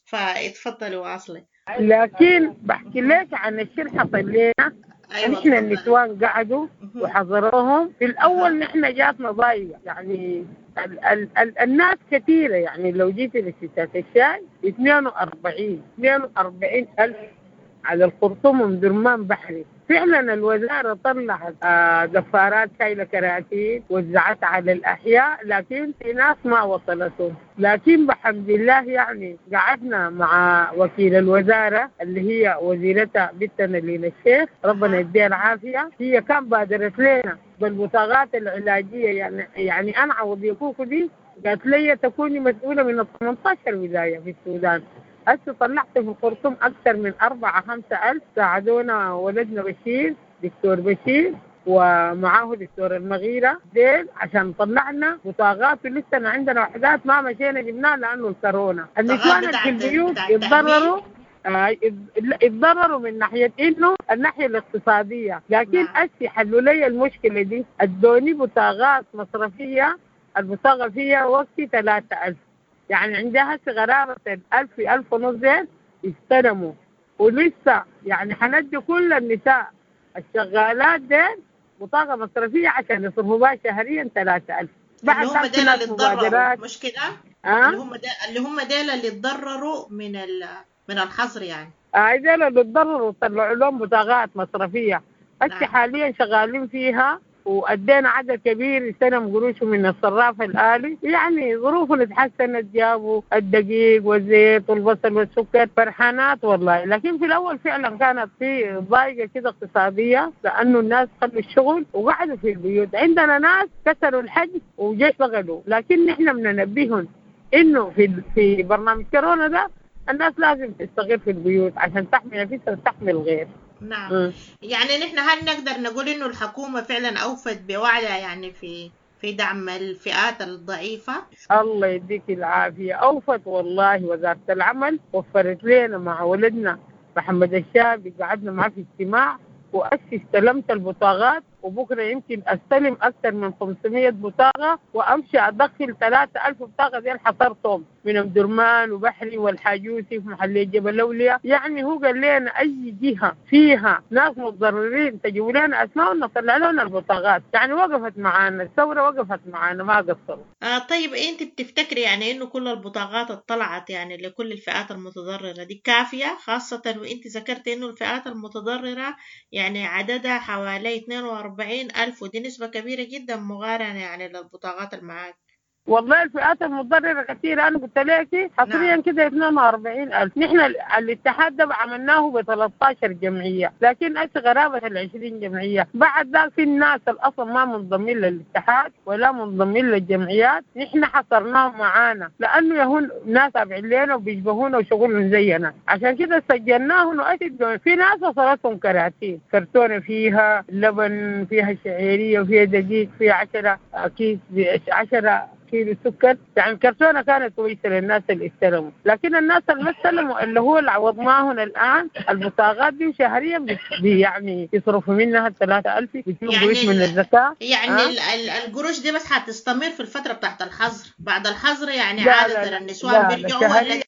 فاتفضلي واصلي. لكن بحكي لك عن الشيء اللي حصل لنا. أيوة نحن النسوان قعدوا وحضروهم في الأول. نحن جاتنا ضايقة يعني ال ال ال الناس كثيرة، يعني لو جيت لستات الشاي اثنين وأربعين اثنين وأربعين ألف على الخرطوم ومدرمان بحري. فعلا الوزارة طلعت آه دفارات شايلة كراتين وزعتها على الأحياء، لكن في ناس ما وصلتهم. لكن بحمد الله يعني قعدنا مع وكيل الوزارة اللي هي وزيرتها بنتنا لينا الشيخ، ربنا يديها العافية، هي كان بادرت لنا بالبطاقات العلاجية. يعني يعني أنا عوضية كوكو دي قالت لي تكوني مسؤولة من ثمانية عشر ولاية في السودان. هسه طلعت في الخرطوم أكثر من أربعة خمسة ألف. ساعدونا ولدنا بشير، دكتور بشير، ومعاه دكتور المغيرة ديل، عشان طلعنا بطاقات. ولسه عندنا وحدات ما مشينا جبناها لأنه الكورونا. النسوان في البيوت اتضرروا، اتضرروا من ناحية إنه الناحية الاقتصادية، لكن هسه حلوا لي المشكلة دي، ادوني بطاقات مصرفية، البطاقة فيها وقتي ثلاثة ألف، يعني عندها غرابة ألف ألف ونص زين استلموا. ولسه يعني حندي كل النساء الشغالات دين بطاقة مصرفية عشان يصرفوا بها شهريا ثلاثة ألف. بعد اللي هم ديل اللي اتضرروا مش كده؟ أه؟ اللي هم ديل اللي هم ديل اللي اتضرروا من ال... من الحظر يعني. آه ديل اللي اتضرروا طلعوا لهم بطاقات مصرفية. هسه حاليا شغالين فيها، وأدينا عدد كبير استلم قروشه من الصراف الآلي. يعني ظروفهم اتحسنت، جابوا الدقيق والزيت والبصل والسكر، فرحانات والله. لكن في الأول فعلا كانت في ضايقة كده اقتصادية، لأنه الناس خلوا الشغل وقعدوا في البيوت. عندنا ناس كسروا الحج وجي اشتغلوا، لكن نحن بننبههم إنه في في برنامج كورونا ده الناس لازم تستغل في البيوت عشان تحمي نفسها وتحمي الغير. نعم. م. يعني نحن هل نقدر نقول إنه الحكومة فعلا أوفت بوعدها يعني في في دعم الفئات الضعيفة؟ الله يديك العافية، أوفت والله. وزارة العمل وفرت لنا مع ولدنا محمد الشابي، قعدنا معه في اجتماع، وأسي استلمت البطاقات، وبكرة يمكن أستلم أكثر من خمسمية بطاقة، وأمشي أدخل ثلاثة ألف بطاقة زي اللي حصرتهم من أم درمان وبحري والحاجوسي في محلية جبل أولياء. يعني هو قال لنا أي جهة فيها ناس متضررين تجيبوا لنا أسماء ونطلع لنا البطاقات. يعني وقفت معانا الثورة، وقفت معانا ما قصروا. آه طيب أنت بتفتكري يعني إنه كل البطاقات اطلعت يعني لكل الفئات المتضررة دي كافية، خاصة وأنت ذكرت إنه الفئات المتضررة يعني عددها حوالي اثنين وأربعين ألف، ودي نسبة كبيرة جدا مقارنة يعني للبطاقات المعاك. والله الفئات المتضررة كثيرة، أنا قلت لك حصريا كده اثنين وأربعين ألف. نحن الاتحاد ده عملناه ب ثلاثة عشر جمعية، لكن أسي غرابة ال عشرين جمعية. بعد ذاك في الناس اللي أصلا ما منضمين للاتحاد ولا منضمين للجمعيات، نحن حصرناهم معانا لأنه يهون ناس تابعين لنا وبيشبهونا وشغلهم زينا، عشان كده سجلناهم. وأسي في ناس وصلتهم كراتين، كرتونة فيها لبن، فيها شعيرية، وفيها دقيق، فيها عشرة كيس، عشرة كيلو سكر. يعني الكرتونة كانت كويسة للناس اللي استلموا، لكن الناس اللي ما استلموا اللي هو اللي عوضناهم الآن البطاقات دي شهريا بي يعني يصرفوا منها ثلاثة ألف، بيجيبوا يعني قروش من الزكاة. يعني آه؟ القروش دي بس حتستمر في الفترة بتاعت الحظر، بعد الحظر يعني لا عادة لا لا النسوان لا بيرجعوا لا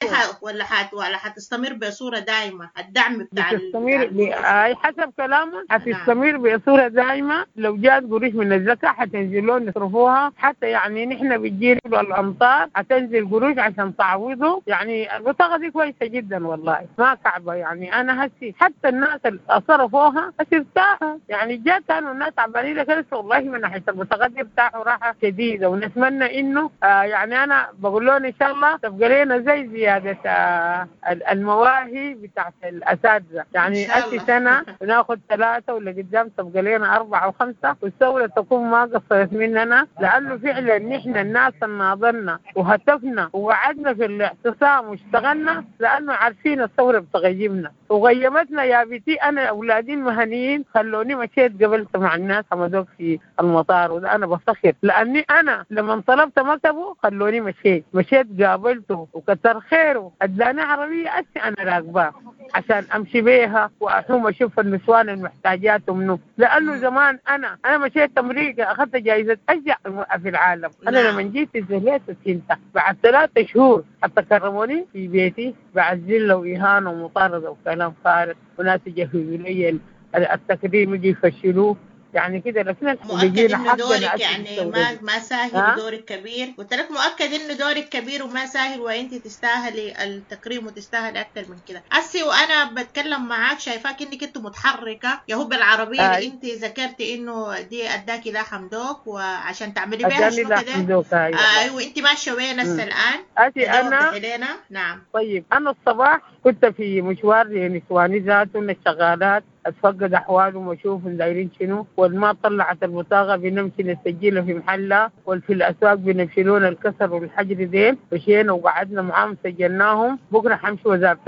ولا ولا حت ولا حتستمر بصورة دائمة الدعم بتاع بتستمر ب... آه حسب كلامهم حتستمر بصورة دائمة. لو جات قروش من الزكاة حتنزلون يصرفوها، حتى يعني نحن بتجينا الأمطار حتنزل قروش عشان تعوضوا. يعني البطاقة دي كويسة جدا والله، ما صعبة. يعني أنا هسي حتى الناس اللي صرفوها هسي ارتاحوا، يعني جات كانوا الناس عبالي لك والله من ناحية البطاقة دي ارتاحوا راحة شديدة. ونتمنى إنه آه يعني أنا بقول لهم إن شاء الله تبقى لنا زي زيادة زيادة المواهي بتاعت الأساتذة، يعني أسي سنة ناخد ثلاثة ولا قدام تبقى لنا أربعة وخمسة، والثورة تكون ما قصرت مننا، لأنه فعلا نحن الناس ناضلنا وهتفنا وقعدنا في الاعتصام واشتغلنا، لأنه عارفين الثورة بتغيبنا وغيبتنا يا بنتي. أنا أولادي المهنيين خلوني مشيت قبلت مع الناس حمدوك في المطار، وده أنا بفتخر لأني أنا لما طلبت مكتبه خلوني مشيت مشيت قابلته وكتر خيره أداني عربية أسي أنا راكباه عشان أمشي بيها وأحوم أشوف النسوان المحتاجات منه، لأنه زمان أنا أنا مشيت أمريكا أخذت جائزة أشجع المرأة في العالم. أنا لما جيت اتزهلت وسنت بعد ثلاثة شهور حتى كرموني في بيتي بعد ذلة وإهانة ومطاردة وكلام فارغ، وناس يجهزوا لي التكريم يجي يفشلوه يعني كده. لكن مؤكد انه دورك يعني ما ما ساهل، دورك كبير. قلت لك مؤكد انه دورك كبير وما ساهل، وانت تستاهلي التكريم وتستاهلي اكثر من كده. اسي وانا بتكلم معاك شايفاك انك انت متحركه يا هو بالعربيه اللي انت ذكرتي انه دي اداكي لا حمدوك وعشان تعملي بيها شنو كده. ايوه انت ماشيه وين هسه الان؟ اسي انا نعم. طيب انا الصباح كنت في مشوار لنسواني ذاتهم الشغالات، اتفقد احوالهم واشوفهم دايرين شنو، والما طلعت البطاقه بنمشي نسجلها في محلها، وفي الاسواق بنمشي لون الكسر والحجر ديل. مشينا وقعدنا معاهم سجلناهم. بكره حمشي وزاره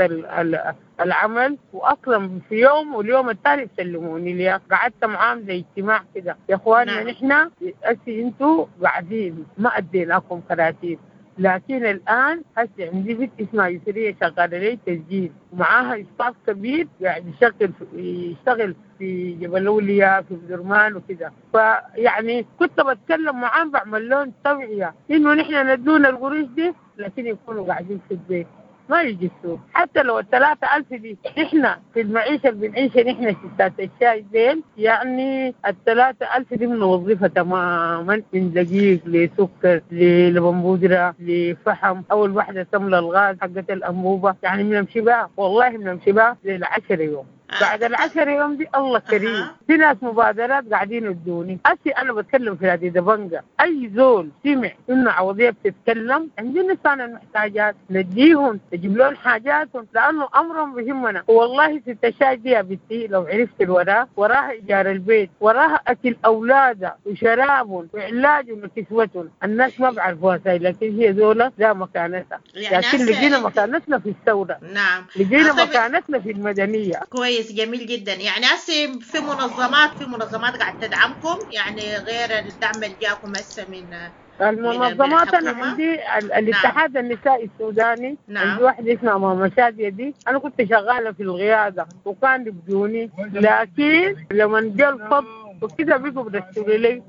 العمل، واصلا في يوم واليوم الثاني بسلموني ليها. قعدت معاهم زي اجتماع كده، يا اخواننا نحن هسي انتوا قاعدين ما اديناكم كراتين، لكن الآن هسه عندي بنت اسمها يسرية شغالة لي تسجيل، ومعاها staff كبير قاعد يشتغل يشتغل في جبل أولياء في بدرمان وكده. فيعني كنت بتكلم معاهم بعمل لهم توعية إنه نحن ندونا القروش دي، لكن يكونوا قاعدين في البيت ما يجي السوق. حتى لو الثلاثة ألف دي نحن في المعيشة اللي بنعيشها نحن ستات الشاي ديل، يعني الثلاثة ألف دي بنوظفها تماما، من دقيق لسكر للبن بودرة لفحم، أول واحدة تملى الغاز حقت الأنبوبة، يعني بنمشي بها والله بنمشي بها للعشر يوم. بعد العشر يوم دي الله كريم في ناس مبادرات قاعدين يدوني. أسي أنا بتكلم في راديو دبنجة، أي زول سمع إنه عوضية بتتكلم عندنا نسان المحتاجات نديهم نجيب لهم حاجاتهم، لأنه أمرهم بهمنا. والله ست الشاي دي يا بنتي لو عرفت الوراء، وراها إيجار البيت، وراها أكل أولادها وشرابهم وعلاجهم وكسوتهم. الناس ما بعرفوها ساي، لكن هي زولة لا مكانتها، يعني لكن لقينا مكانتنا في الثورة. نعم لقينا مكانتنا في المدنية. كويس جميل جدا. يعني هسه في منظمات في منظمات قاعد تدعمكم، يعني غير الدعم اللي جاكم هسه من المنظمات؟ انا عندي الاتحاد نعم. النسائي السوداني. نعم. عندي واحده اسمها ماما شاديه دي، انا كنت شغاله في القياده وكان يبدوني، لكن لما جاء الفض وكده بقوا بيرسلوا لي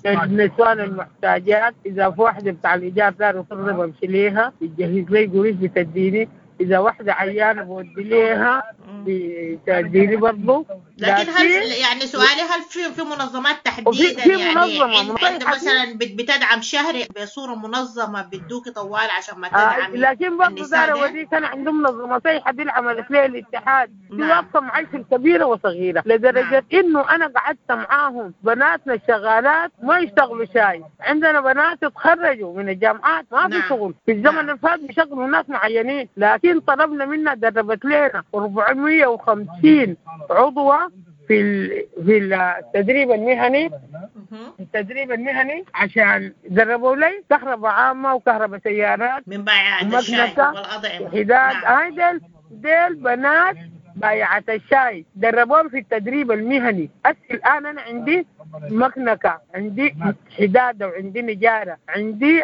النسوان المحتاجات. اذا في واحده بتاع الايجار دار وترضى بمشي ليها بتجهز لي قروش بتديني، إذا واحدة عيانة بودي ليها بتديني برضه. لكن هل يعني سؤالي، هل في في منظمات تحديدا في يعني منظمة عند مثلا بتدعم شهري بصورة منظمة بتدوكي طوال عشان ما تدعمي؟ آه لكن برضه دار أوريك أنا عندهم منظمة صيحة دي اللي عملت لي الاتحاد دي واقفة معي في الكبيرة وصغيرة، لدرجة نعم. إنه أنا قعدت معاهم بناتنا الشغالات ما يشتغلوا شاي، عندنا بنات اتخرجوا من الجامعات ما في نعم. شغل في الزمن اللي فات بيشغلوا ناس معينين، لكن طلبنا منا دربت لنا أربعمية وخمسين عضوة في في التدريب المهني، التدريب المهني عشان دربوا لي كهرباء عامة وكهرباء سيارات من بائعة الشاي والأطعمة وحداد. هاي ديل ديل بنات بائعة الشاي دربوهم في التدريب المهني. هسه الآن أنا عندي مكنكة، عندي حدادة، وعندي نجارة، عندي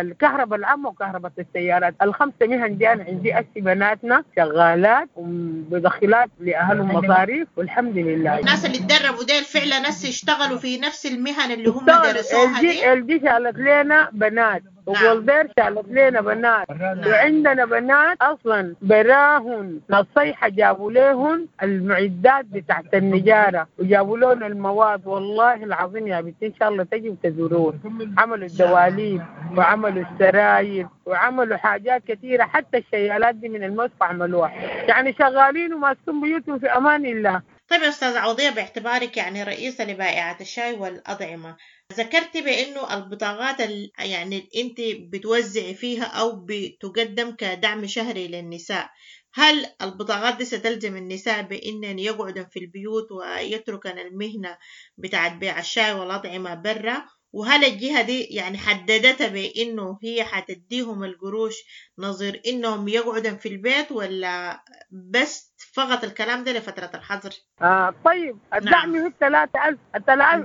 الكهرباء العامة وكهرباء السيارات، الخمسة مهن دي أنا عندي. أسي بناتنا شغالات ومدخلات لأهلهم مصاريف والحمد لله. الناس اللي تدربوا ديل فعلا ناس يشتغلوا في نفس المهن اللي هم درسوها دي. ال دي شالت لنا بنات، وولدير شالت لنا بنات، وعندنا بنات اصلا براهن نصيحه جابوا لهن المعدات بتاعت النجاره وجابوا لهم المواد. والله العظيم يا بنتي ان شاء الله تجي وتزورون. عملوا الدواليب وعملوا السراير وعملوا حاجات كثيره، حتى الشيالات دي من المصفى عملوها. يعني شغالين وماسكين بيوتهم في امان الله. طيب يا أستاذة عوضية، باعتبارك يعني رئيسة لبائعات الشاي والأطعمة، ذكرتي بأنه البطاقات ال... يعني أنت بتوزعي فيها أو بتقدم كدعم شهري للنساء، هل البطاقات دي ستلزم النساء بأنن يقعدن في البيوت ويتركن المهنة بتاعت بيع الشاي والأطعمة برا؟ وهل الجهة دي يعني حددتها بأنه هي حتديهم القروش نظير إنهم يقعدن في البيت، ولا بس فقط الكلام ده لفترة الحظر؟ آه طيب الدعم هو الثلاثة ألف،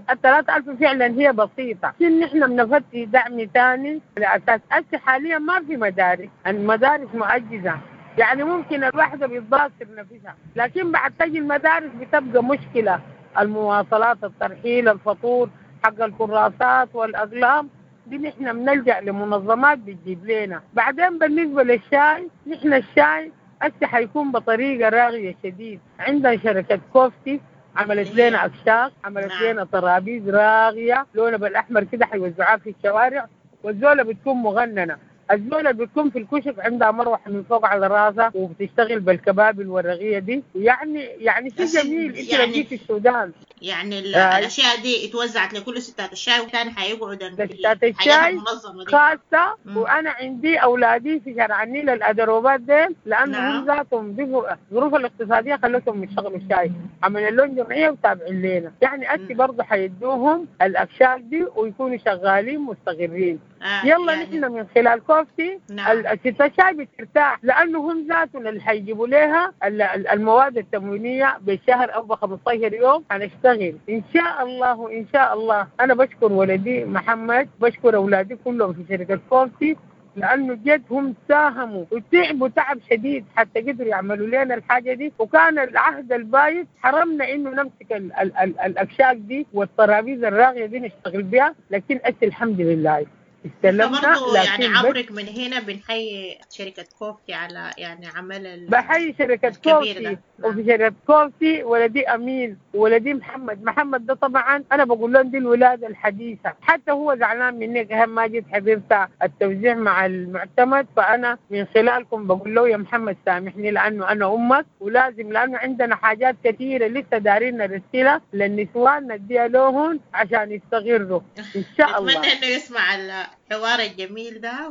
الثلاثة ألف فعلا هي بسيطة، لكن نحن بنفتي دعم ثاني على أساس هسه حاليا ما في مدارس، المدارس مؤجزة، يعني ممكن الواحدة بتباصر نفسها، لكن بعد تجي المدارس بتبقى مشكلة، المواصلات، الترحيل، الفطور، حق الكراسات والأقلام دي نحن بنلجأ لمنظمات بتجيب لنا. بعدين بالنسبة للشاي، نحن الشاي هسه حيكون بطريقة راغية شديد، عندنا شركة كوفتي عملت لنا أكشاك، عملت لنا ترابيز راغية لونها بالأحمر كده حيوزعوها في الشوارع، والزولة بتكون مغننة، الزولة بتكون في الكشك عندها مروحة من فوق على راسها وبتشتغل بالكباب الورقية دي، يعني يعني شيء جميل. انت لو يعني جيت السودان يعني ال- آه. الأشياء دي اتوزعت لكل ستات الشاي، وكان حيقعدن في ستات الحياة الشاي المنظمة دي. خاصة. وأنا عندي أولادي في شارع النيل الأدروبات ديل، لأنه نعم. هم ذاتهم بيبقوا الظروف الاقتصادية خلتهم يشتغلوا الشاي، عملوا لهم جمعية وتابعين لنا، يعني أتي برضه حيدوهم الأكشاك دي ويكونوا شغالين مستقرين. آه يلا يعني نحن من خلال كوفتي نعم. الست الشاي بترتاح، لأنه هم ذاتهم اللي حيجيبوا لها ال- ال- المواد التموينية بالشهر أو ب خمستاشر يوم. هنشتغل إن شاء الله، إن شاء الله. أنا بشكر ولدي محمد، بشكر أولادي كلهم في شركة كوفتي، لأنه جد هم ساهموا وتعبوا تعب شديد حتى قدروا يعملوا لنا الحاجة دي. وكان العهد البايت حرمنا إنه نمسك ال ال ال الأكشاك دي والترابيز الراغية دي نشتغل بها، لكن أسي الحمد لله استلمنا. برضو يعني لكن بس عبرك من هنا بنحيي شركة كوفتي على يعني عمل ال- بحيي شركة الكبير كوفتي ده. وفي شركة كوفتي ولدي أمين ولدي محمد. محمد ده طبعا أنا بقول لهم دي الولادة الحديثة، حتى هو زعلان مني أهم ما جيت حضرت التوزيع مع المعتمد، فأنا من خلالكم بقول له يا محمد سامحني لأنه أنا أمك ولازم، لأنه عندنا حاجات كثيرة لسه دارين نرسلها للنسوان نديها لهم عشان يستغروا إن شاء الله. أتمنى إنه يسمع الحوار الجميل ده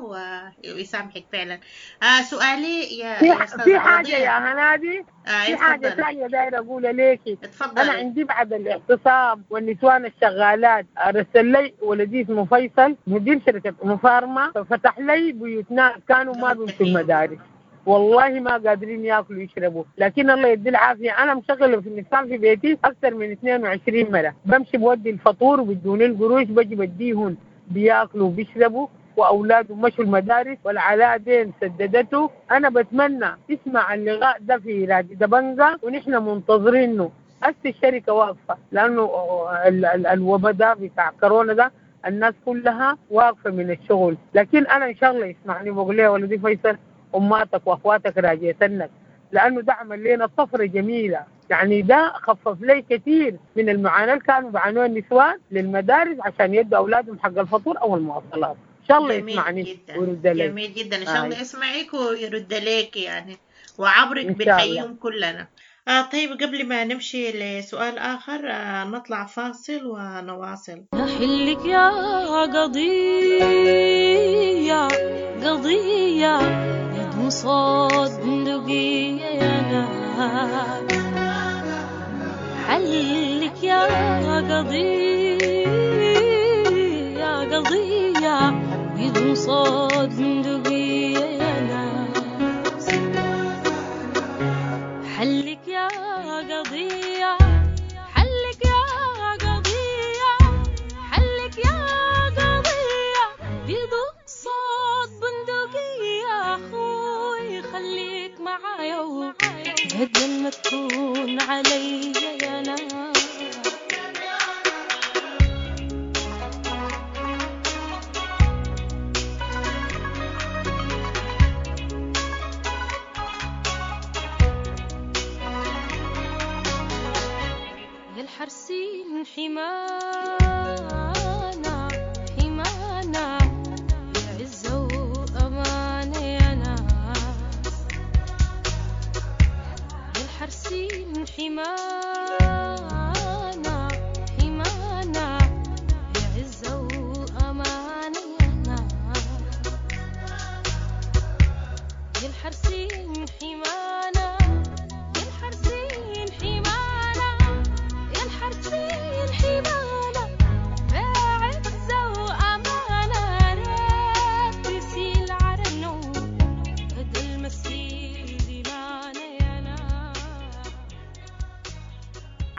ويسامحك فعلا. آه سؤالي يا في يا أستاذة في حاجة عوضية. يا هنادي، آه في حاجة اتفضلي. ثانية دايرة أقولها ليكي. اتفضلي. أنا عندي بعد الاعتصام والنسوان الشغالات أرسل لي ولدي اسمه فيصل مدير شركة مفارمة، ففتح لي بيوت ناس كانوا ما بيمشوا المدارس، والله ما قادرين ياكلوا يشربوا، لكن الله يدي العافية. أنا مشغلة في النسوان في بيتي أكثر من اثنين وعشرين مرة، بمشي بودي الفطور وبدوني القروش، بجي بديهن بياكلوا وبيشربوا، واولاده مشوا المدارس والعلاء دين سددته. انا بتمنى اسمع اللقاء ده في راديو دبنجا ونحن منتظرينه. هسه الشركه واقفه لانه ال- ال- الوباء ده بتاع كورونا ده الناس كلها واقفه من الشغل، لكن انا ان شاء الله يسمعني بقول له ولدي فيصل اماتك واخواتك راجيتنك، لانه ده عمل لنا طفره جميله، يعني ده خفف لي كثير من المعاناه اللي كانوا بيعانوها النسوان للمدارس عشان يدوا اولادهم حق الفطور او المواصلات. ان شاء الله جميل يسمعني جدا. ويرد لي. جميل جدا، إن شاء الله آي. يسمعك ويرد لك يعني، وعبرك إن شاء الله. بنحييهم كلنا. آه طيب قبل ما نمشي لسؤال آخر آه نطلع فاصل ونواصل. أحلك يا قضية قضية يد صوت بندقية يا ناس، حلك يا قضية قضية يد صوت بندقية يا ناس، حلك يا قضية، حلك يا قضية، حلك يا قضية بيض صوت بندقية. أخوي خليك معايا بدل ما تكون علي يا ناس. يا الحرسين حمانا حمانا يا عزة وأمانة يا ناس، يا الحرسين حمانا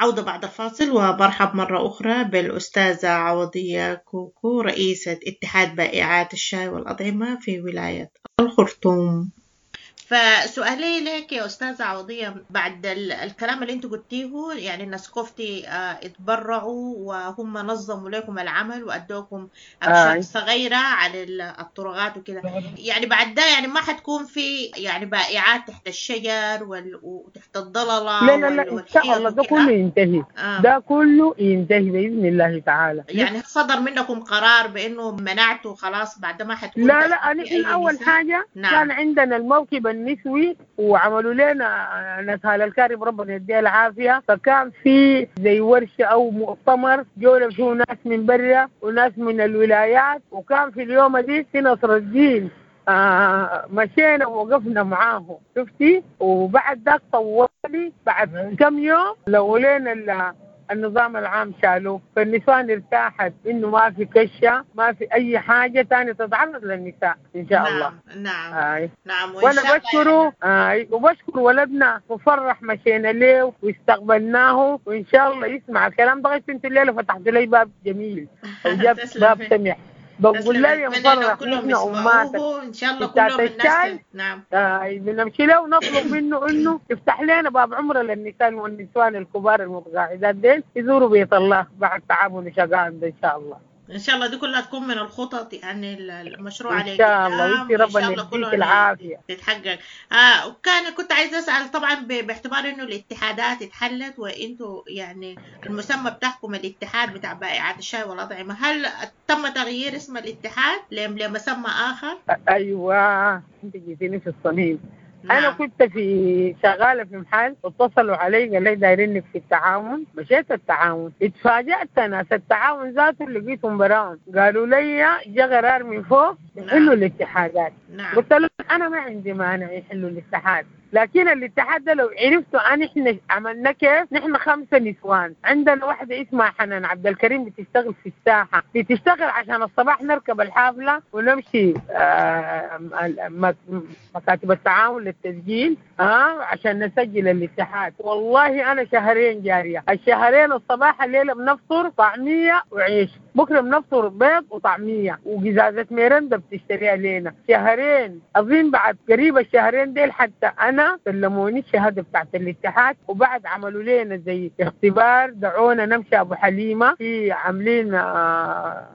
عودة بعد الفاصل، وبرحب مرة أخرى بالأستاذة عوضية كوكو رئيسة اتحاد بائعات الشاي والأطعمة في ولاية الخرطوم. فسؤالي لك يا أستاذة عوضية، بعد الكلام اللي انت قلتيه، يعني الناس كوفتي اتبرعوا وهم نظموا لكم العمل وأدوكم أكشاك صغيرة على الطرقات وكده، يعني بعد ده يعني ما حتكون في يعني بائعات تحت الشجر وال... وتحت الضلالة؟ لا لا لا، إن شاء الله ده كله ينتهي. آه. ده كله ينتهي بإذن الله تعالى. يعني صدر منكم قرار بأنه منعته خلاص بعد ما حتكون؟ لا لا، نحن أول حاجة نعم. كان عندنا الموكب النسوي وعملوا لنا ناس الكارب ربنا يديها العافية، فكان في زي ورشة أو مؤتمر جولة فيه ناس من برا وناس من الولايات، وكان في اليوم دي في نصر الدين آه مشينا ووقفنا معاه شفتي. وبعد ذاك طوالي بعد كم يوم لو لنا النظام العام شالوه، فالنسوان ارتاحت انه ما في كشه، ما في اي حاجه ثانيه تتعرض للنساء ان شاء نعم الله. نعم آه. نعم. وانا بشكره آه. وبشكر ولدنا مفرح، مشينا له واستقبلناه، وان شاء الله يسمع الكلام ده. انت الليله فتحت لي باب جميل وجاب باب سمح. بقول له يا مفرح نحن اماتك ان شاء الله كلهم الناس. نعم آه بنمشي له ونطلب منه انه يفتح لنا باب عمره للنساء والنسوان الكبار المتقاعدات ديل يزوروا بيت الله بعد تعبهم وشقاهم ده ان شاء الله. ان شاء الله دي كلها تكون من الخطط يعني المشروع عليه ان شاء الله، وانت ربنا يديك العافيه تتحقق. آه وكان كنت عايزه اسال طبعا باعتبار انه الاتحادات اتحلت وانتوا يعني المسمى بتاعكم الاتحاد بتاع بائعات الشاي والاطعمه، هل تم تغيير اسم الاتحاد لمسمى اخر؟ ايوه انت جيتيني في الصميم. نعم. أنا كنت في شغالة في محل، اتصلوا علي قال لي دايرينك في التعاون، مشيت التعاون، اتفاجأت ناس التعاون ذاته لقيتهم براهم، قالوا لي جا قرار من فوق يحلوا الاتحادات. نعم. قلت لهم أنا ما عندي مانع يحلوا الاتحاد، لكن الاتحاد ده لو عرفتوا أن إحنا عملنا كيف. نحن خمسة نسوان، عندنا واحدة اسمها حنان عبد الكريم بتشتغل في الساحة، بتشتغل عشان الصباح نركب الحافلة ونمشي آه مكاتب التعاون للتسجيل آه عشان نسجل الاتحاد. والله أنا شهرين جارية، الشهرين الصباح الليلة بنفطر طعمية وعيش، بكرة بنفطر بيض وطعمية وقزازة ميرندا بتشتريها لينا. شهرين أظن بعد قريب الشهرين ديل حتى أنا سلموني الشهادة بتاعت الاتحاد، وبعد عملوا لنا زي اختبار، دعونا نمشي أبو حليمة في عاملين آه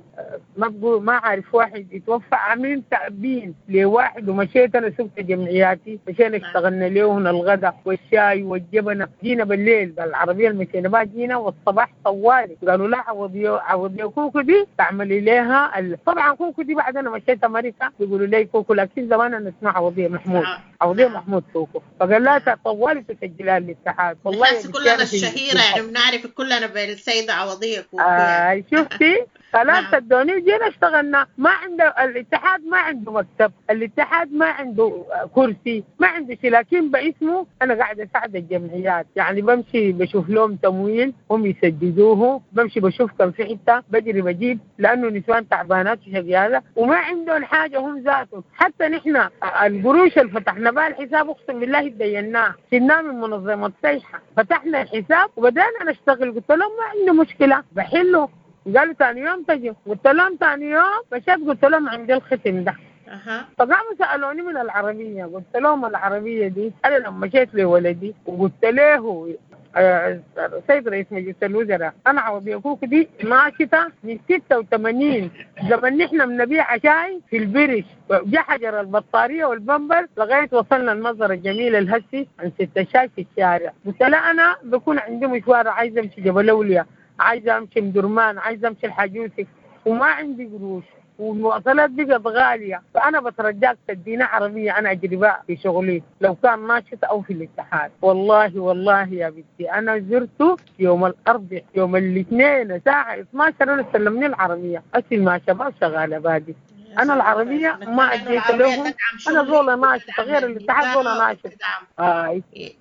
ما بقول ما عارف واحد يتوفى، عاملين تأبين لواحد، ومشيت أنا سبت جمعياتي، مشينا اشتغلنا له الغداء والشاي والجبنة، جينا بالليل بالعربية المشينا بقى جينا، والصباح طوالي قالوا لا عوضي عوضي كوكو دي تعملي لها ال... طبعا كوكو دي بعد أنا مشيت أمريكا بيقولوا لي كوكو، لكن زمان أنا اسمها عوضية محمود، عوضية محمود كوكو، فقال لها طوالي تسجلها الاتحاد. والله كلنا الشهيرة يعني بنعرف كلنا بالسيدة عوضية كوكو. آه شفتي خلاص ادوني وجينا اشتغلنا. ما عنده الاتحاد، ما عنده مكتب، الاتحاد ما عنده كرسي، ما عنده شيء، لكن باسمه انا قاعده اساعد الجمعيات، يعني بمشي بشوف لهم تمويل هم يسددوه، بمشي بشوف كم في حته بجري بجيب، لانه نسوان تعبانات وشقيانه وما عندهم حاجه هم ذاتهم. حتى نحن القروش اللي فتحنا بها الحساب اقسم بالله تديناه، شلناه من منظمه سيحه، فتحنا الحساب وبدأنا نشتغل. قلت لهم ما عندي مشكله بحله، قالوا ثاني يوم تجي، قلت لهم ثاني يوم مشيت، قلت لهم عندي الختم ده. أه. فقاموا سألوني من العربية، قلت لهم العربية دي أنا لما مشيت لولدي وقلت له آه سيد رئيس مجلس الوزراء أنا عربية كوكو دي ماشية من ستة وثمانين زمن نحن بنبيع شاي في البرش، جا حجر البطارية والبمبر لغاية وصلنا المنظر الجميل الهسي عن ستة شاي في الشارع. قلت له أنا بكون عندي مشوار، عايزة أمشي جبل أولياء، عايزة أمشي مدرمان، عايزة أمشي الحاج يوسف، وما عندي قروش والمواصلات بقت غالية، فأنا بترجاك تدينا عربية أنا أجري بها في شغلي لو كان ناشط أو في الاتحاد. والله والله يا بنتي أنا زرته يوم الأربعاء يوم الاثنين الساعة اثنا عشر أنا سلمني العربية، أسل مع شباب شغالة بادي. انا العربية ما اديت لهم، انا زول ناشط غير الاتحاد زول ناشط. آه.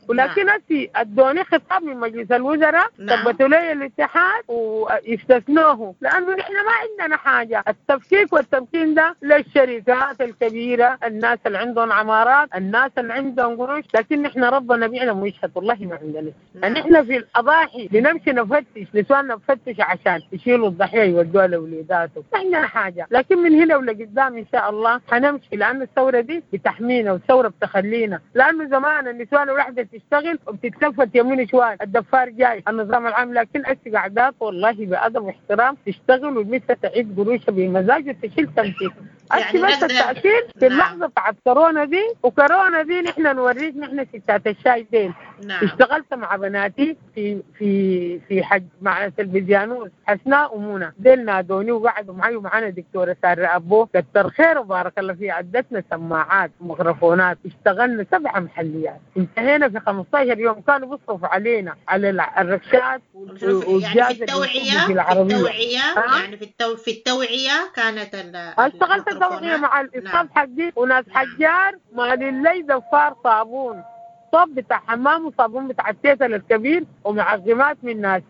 ولكن هسي ادوني خطاب من مجلس الوزراء، ثبتوا لي الاتحاد واستثنوه، لانه نحن ما عندنا حاجة. التفكيك والتمكين ده للشركات الكبيرة، الناس اللي عندهم عمارات، الناس اللي عندهم قروش، لكن نحن ربنا بيعلم ويشهد والله ما عندنا. نحن في الاضاحي بنمشي نفتش، نسواننا نفتش عشان يشيلوا الضحية يودوها لاولاداتهم، ما عندنا حاجة. لكن من هنا ولقدام ان شاء الله حنمشي، لانه الثورة دي بتحمينا والثورة بتخلينا، لانه زمان النسوان الواحدة تشتغل وبتتلفت يمين شوال، الدفار جاي، النظام العام، لكن هسه قاعدات والله بادب واحترام تشتغل والمثل تعيد قروشها بمزاج وتشيل تمثيل. يعني بس التأثير في اللحظة بتاعت كورونا دي، وكورونا دي نحن نوريك نحن ستات الشاي دين. نعم. اشتغلت مع بناتي في في في حج مع تلفزيانوس حسناء ومنى، ديل نادوني وقعدوا معي، ومعنا دكتورة سارة أبو كتر خير وبارك الله فيها، عدتنا سماعات وميكروفونات، اشتغلنا سبعة محليات، انتهينا في خمسة عشر يوم. كانوا بيصرفوا علينا على الركشات والجاز. يعني في التوعية، في التوعية آه؟ يعني في التو... في التوعية كانت ال... اشتغلت التوعية مع الإصحاب حقي وناس حجار، ما للي دفار صابون، صب بتاع حمام وصابون بتاع التيتل الكبير ومعقمات من ناس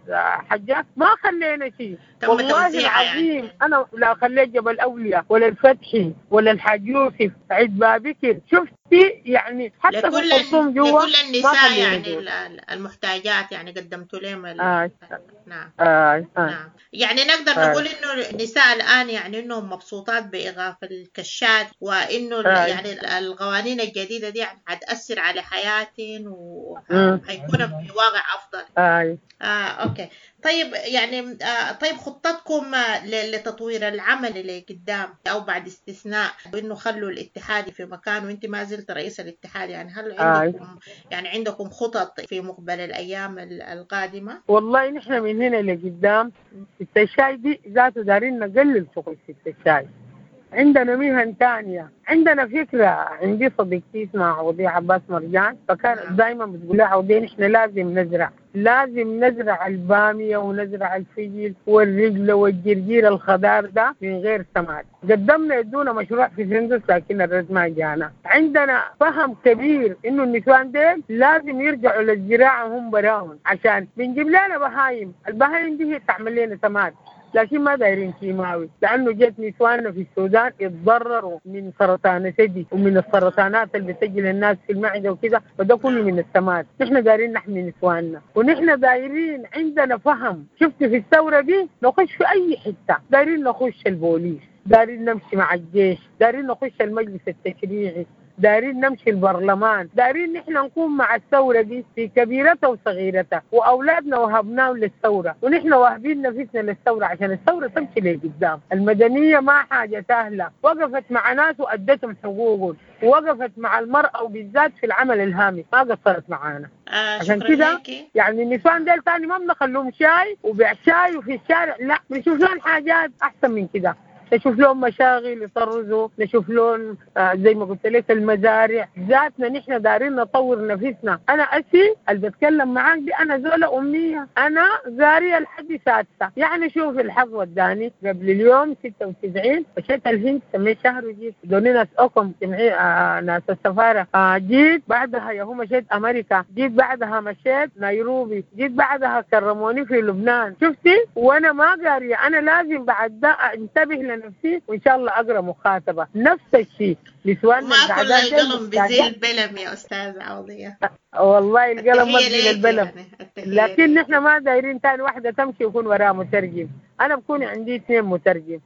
حجار، ما خلينا شيء والله العظيم. يعني انا لا خليت جبل اولياء ولا الفتحي ولا الحاج يوسف عيد بابكر، شفتي يعني حتى في الخرطوم جوا لكل النساء يعني المحتاجات يعني قدمتوا لهم ال... آه. نعم. آه. آه. نعم. يعني نقدر آه. نقول انه النساء الان يعني انهم مبسوطات بايقاف الكشات، وانه آه. يعني القوانين الجديدة دي يعني حتاثر على حياتهم وحيكون في واقع افضل. آه. آه، okay. طيب يعني آه طيب خطتكم لتطوير العمل اللي قدام او بعد استثناء انه خلوا الاتحاد في مكان وانت ما زلت رئيس الاتحاد، يعني هل عندكم آه. يعني عندكم خطط في مقبل الايام القادمة؟ والله نحن من هنا لقدام ست الشاي دي ذاته دارين نقلل شغل ست الشاي، عندنا مهن تانية، عندنا فكرة. عندي صديقتي اسمها عوضية عباس مرجان، فكانت دايما بتقول لها عوضية نحن لازم نزرع، لازم نزرع البامية ونزرع الفجل والرجل والجرجير الخضار ده من غير سماد. قدمنا يدونا مشروع في سندس لكن الرد ما جانا. عندنا فهم كبير انه النسوان ديل لازم يرجعوا للزراعة هم براهم، عشان بنجيب لنا بهايم، البهايم دي هي تعمل لنا سماد، لكن ما دايرين كيماوي، لانه جت نسواننا في السودان اتضرروا من سرطان الثدي ومن السرطانات اللي بتجي للناس في المعدة وكده، وده كله من السماد. نحن دايرين نحمي نسواننا، ونحن دايرين عندنا فهم. شفت في الثورة دي نخش في اي حتة، دايرين نخش البوليس، دايرين نمشي مع الجيش، دايرين نخش المجلس التشريعي، دايرين نمشي البرلمان، دايرين نحن نكون مع الثورة دي في كبيرتها وصغيرتها، وأولادنا وهبناهم للثورة، ونحن واهبين نفسنا للثورة عشان الثورة تمشي لقدام. المدنية ما حاجة سهلة، وقفت مع ناس وأدتهم حقوقهم، ووقفت مع المرأة وبالذات في العمل الهامي ما قصرت معانا. آه عشان كده يعني النسوان ديل تاني ما بنخلوهم شاي وبيع شاي وفي الشارع، لا بنشوف لهم حاجات أحسن من كده، نشوف لهم مشاغل يطرزوا، نشوف لهم آه زي ما قلت لك المزارع ذاتنا. نحن دارين نطور نفسنا. انا اسي اللي بتكلم معاك دي انا زوله امية، انا زاريه لحد سادسة، يعني شوف الحظ وداني قبل اليوم ستة وتسعين مشيت الهند سميت شهر وجيت دوني ناس اوكم جمعية آه ناس السفارة آه جيت بعدها يا هو مشيت امريكا، جيت بعدها مشيت نيروبي، جيت بعدها كرموني في لبنان. شفتي وانا ما قارية، انا لازم بعد ده انتبه لنفسي وان شاء الله اقرا مخاطبه. نفس الشيء نسوان ما كل القلم بزيل بلم يا استاذ عوضيه. والله القلم ما بزيل البلم يعني. لكن نحن ما دايرين تاني واحدة تمشي يكون وراها مترجم. انا بكون عندي اثنين مترجم.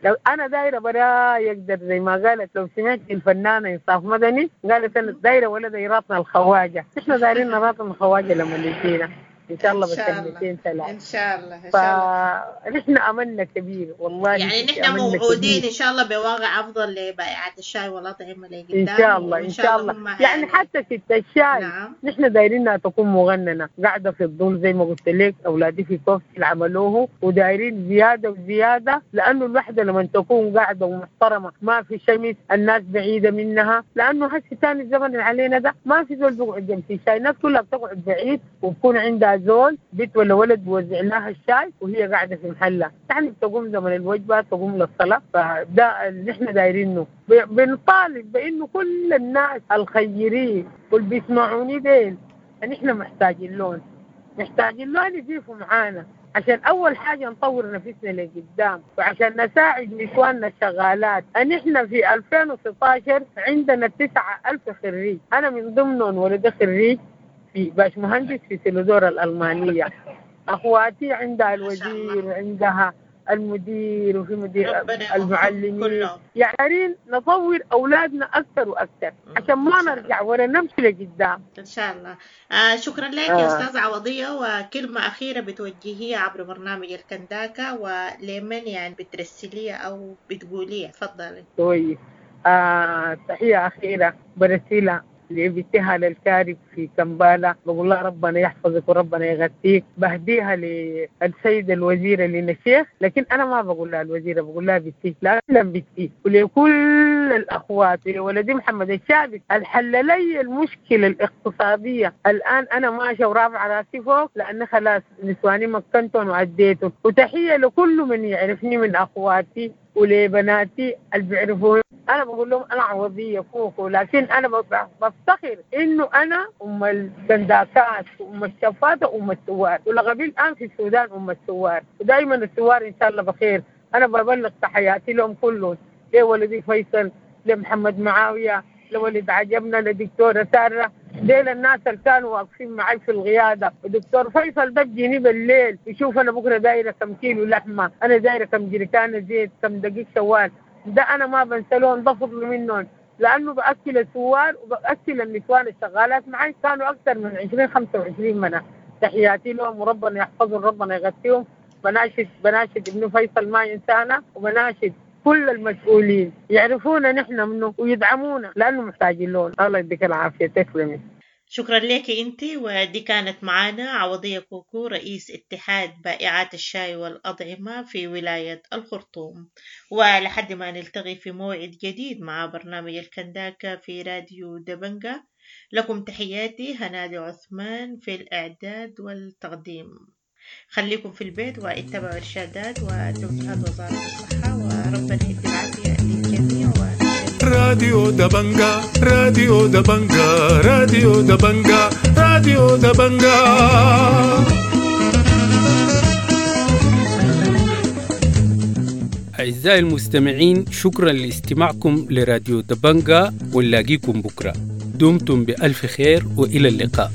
لو انا دايرة برا يقدر زي ما قالت لو سمعت الفنانة انصاف مدني قالت انا دايرة ولا دايراتنا الخواجه، نحن دايرين راتنا الخواجه لما يجينا ان شاء الله بسنتين ثلاث ان شاء الله. ان شاء الله فنحن املنا كبير والله، يعني نحن موعودين ان شاء الله بواقع افضل لبائعات الشاي والاطعمة لقدام ان شاء الله. ان شاء الله, الله يعني حتى ست الشاي نعم. نحن دايرينها تكون مغننه قاعدة في الظل زي ما قلت لك، اولادي في كوفي اللي عملوه ودايرين زيادة وزيادة، لانه الوحدة لما تكون قاعدة ومحترمه ما في شمس، الناس بعيدة منها، لانه هسه ثاني الزمن اللي علينا ده ما في زول بيقعد جنب الشاي، الناس كلها بتقعد بعيد وبكون عندها زول بنت ولا ولد بوزع لها الشاي وهي قاعدة في محلها. يعني بتقوم زمن الوجبة تقوم للصلاة. فده اللي احنا دايرينه. بنطالب بانه كل الناس الخيرين واللي بيسمعوني ديل ان احنا محتاجين لهم، محتاجين لهم يقفوا معانا عشان أول حاجة نطور نفسنا لقدام، وعشان نساعد نسواننا الشغالات. أن إحنا في ألفين وستة عشر عندنا تسعة ألف خريج، أنا من ضمنهم ولدي خريج في باش مهندس في سيلودور الألمانية. أخواتي عندها الوزير وعندها المدير وفي مدير المعلمين. يعني نطور أولادنا أكثر وأكثر عشان ما نرجع ولا نمشي لقدام إن شاء الله. آه شكرا لك يا أستاذة عوضية. وكلمة أخيرة بتوجهيها عبر برنامج الكنداكا ولمن يعني بترسليها أو بتقوليها، تفضلي. كويس. آه تحية أخيرة برسلها لبنتها للكارب في كمبالة، بقول لها ربنا يحفظك وربنا يغطيك. بهديها للسيد الوزيرة لنا الشيخ، لكن أنا ما بقول لها الوزيرة، بقول لها بنتي، لا بنتي. ولكل الأخوات ولدي محمد الشابك الحل لي المشكلة الاقتصادية الآن، أنا ماشية ورافعة راسي فوق لأن خلاص نسواني مكنتهم وعديتهم. وتحية لكل من يعرفني من أخواتي ولبناتي اللي بيعرفوني. أنا بقول لهم أنا عوضية كوكو، لكن أنا بفتخر إنه أنا أم الكنداكات وأم الشفاتة وأم الثوار، ولغبي الآن في السودان أم الثوار، ودائما الثوار إن شاء الله بخير. أنا ببلغ تحياتي لهم كلهم، لولدي فيصل، لمحمد معاوية، لولد عجبنا، لدكتورة سارة، ديل الناس اللي كانوا واقفين معي في القيادة. ودكتور فيصل ده بيجيني بالليل يشوف أنا بكرة دايرة كم كيلو لحمة، أنا دايرة كم جريكانة زيت، كم دقيق شوال. ده أنا ما بنسلهم، ده فضل منهم، لأنه بأكل الثوار وبأكل النسوان الشغالات معي، كانوا أكثر من عشرين خمسة وعشرين منه. تحياتي لهم وربنا يحفظهم ربنا يغطيهم. بناشد بناشد ابن فيصل ما ينسانا، وبناشد كل المسؤولين يعرفونا نحن منه ويدعمونا لأنه محتاجين لهم. الله يديك العافية، تسلمي. شكرا لك انت. ودي كانت معانا عوضية كوكو، رئيس اتحاد بائعات الشاي والأطعمة في ولاية الخرطوم. ولحد ما نلتقي في موعد جديد مع برنامج الكنداكا في راديو دبنجا، لكم تحياتي هنادي عثمان في الإعداد والتقديم. خليكم في البيت واتبعوا إرشادات وتوجيهات وزارة الصحة، وربنا يدي العافية للجميع. و... راديو دبنجا، راديو دبنجا، راديو دبنجا، راديو دبنجا. أعزائي المستمعين، شكرا لاستماعكم لراديو دبنجا، ونلاقيكم بكرة. دمتم بألف خير وإلى اللقاء.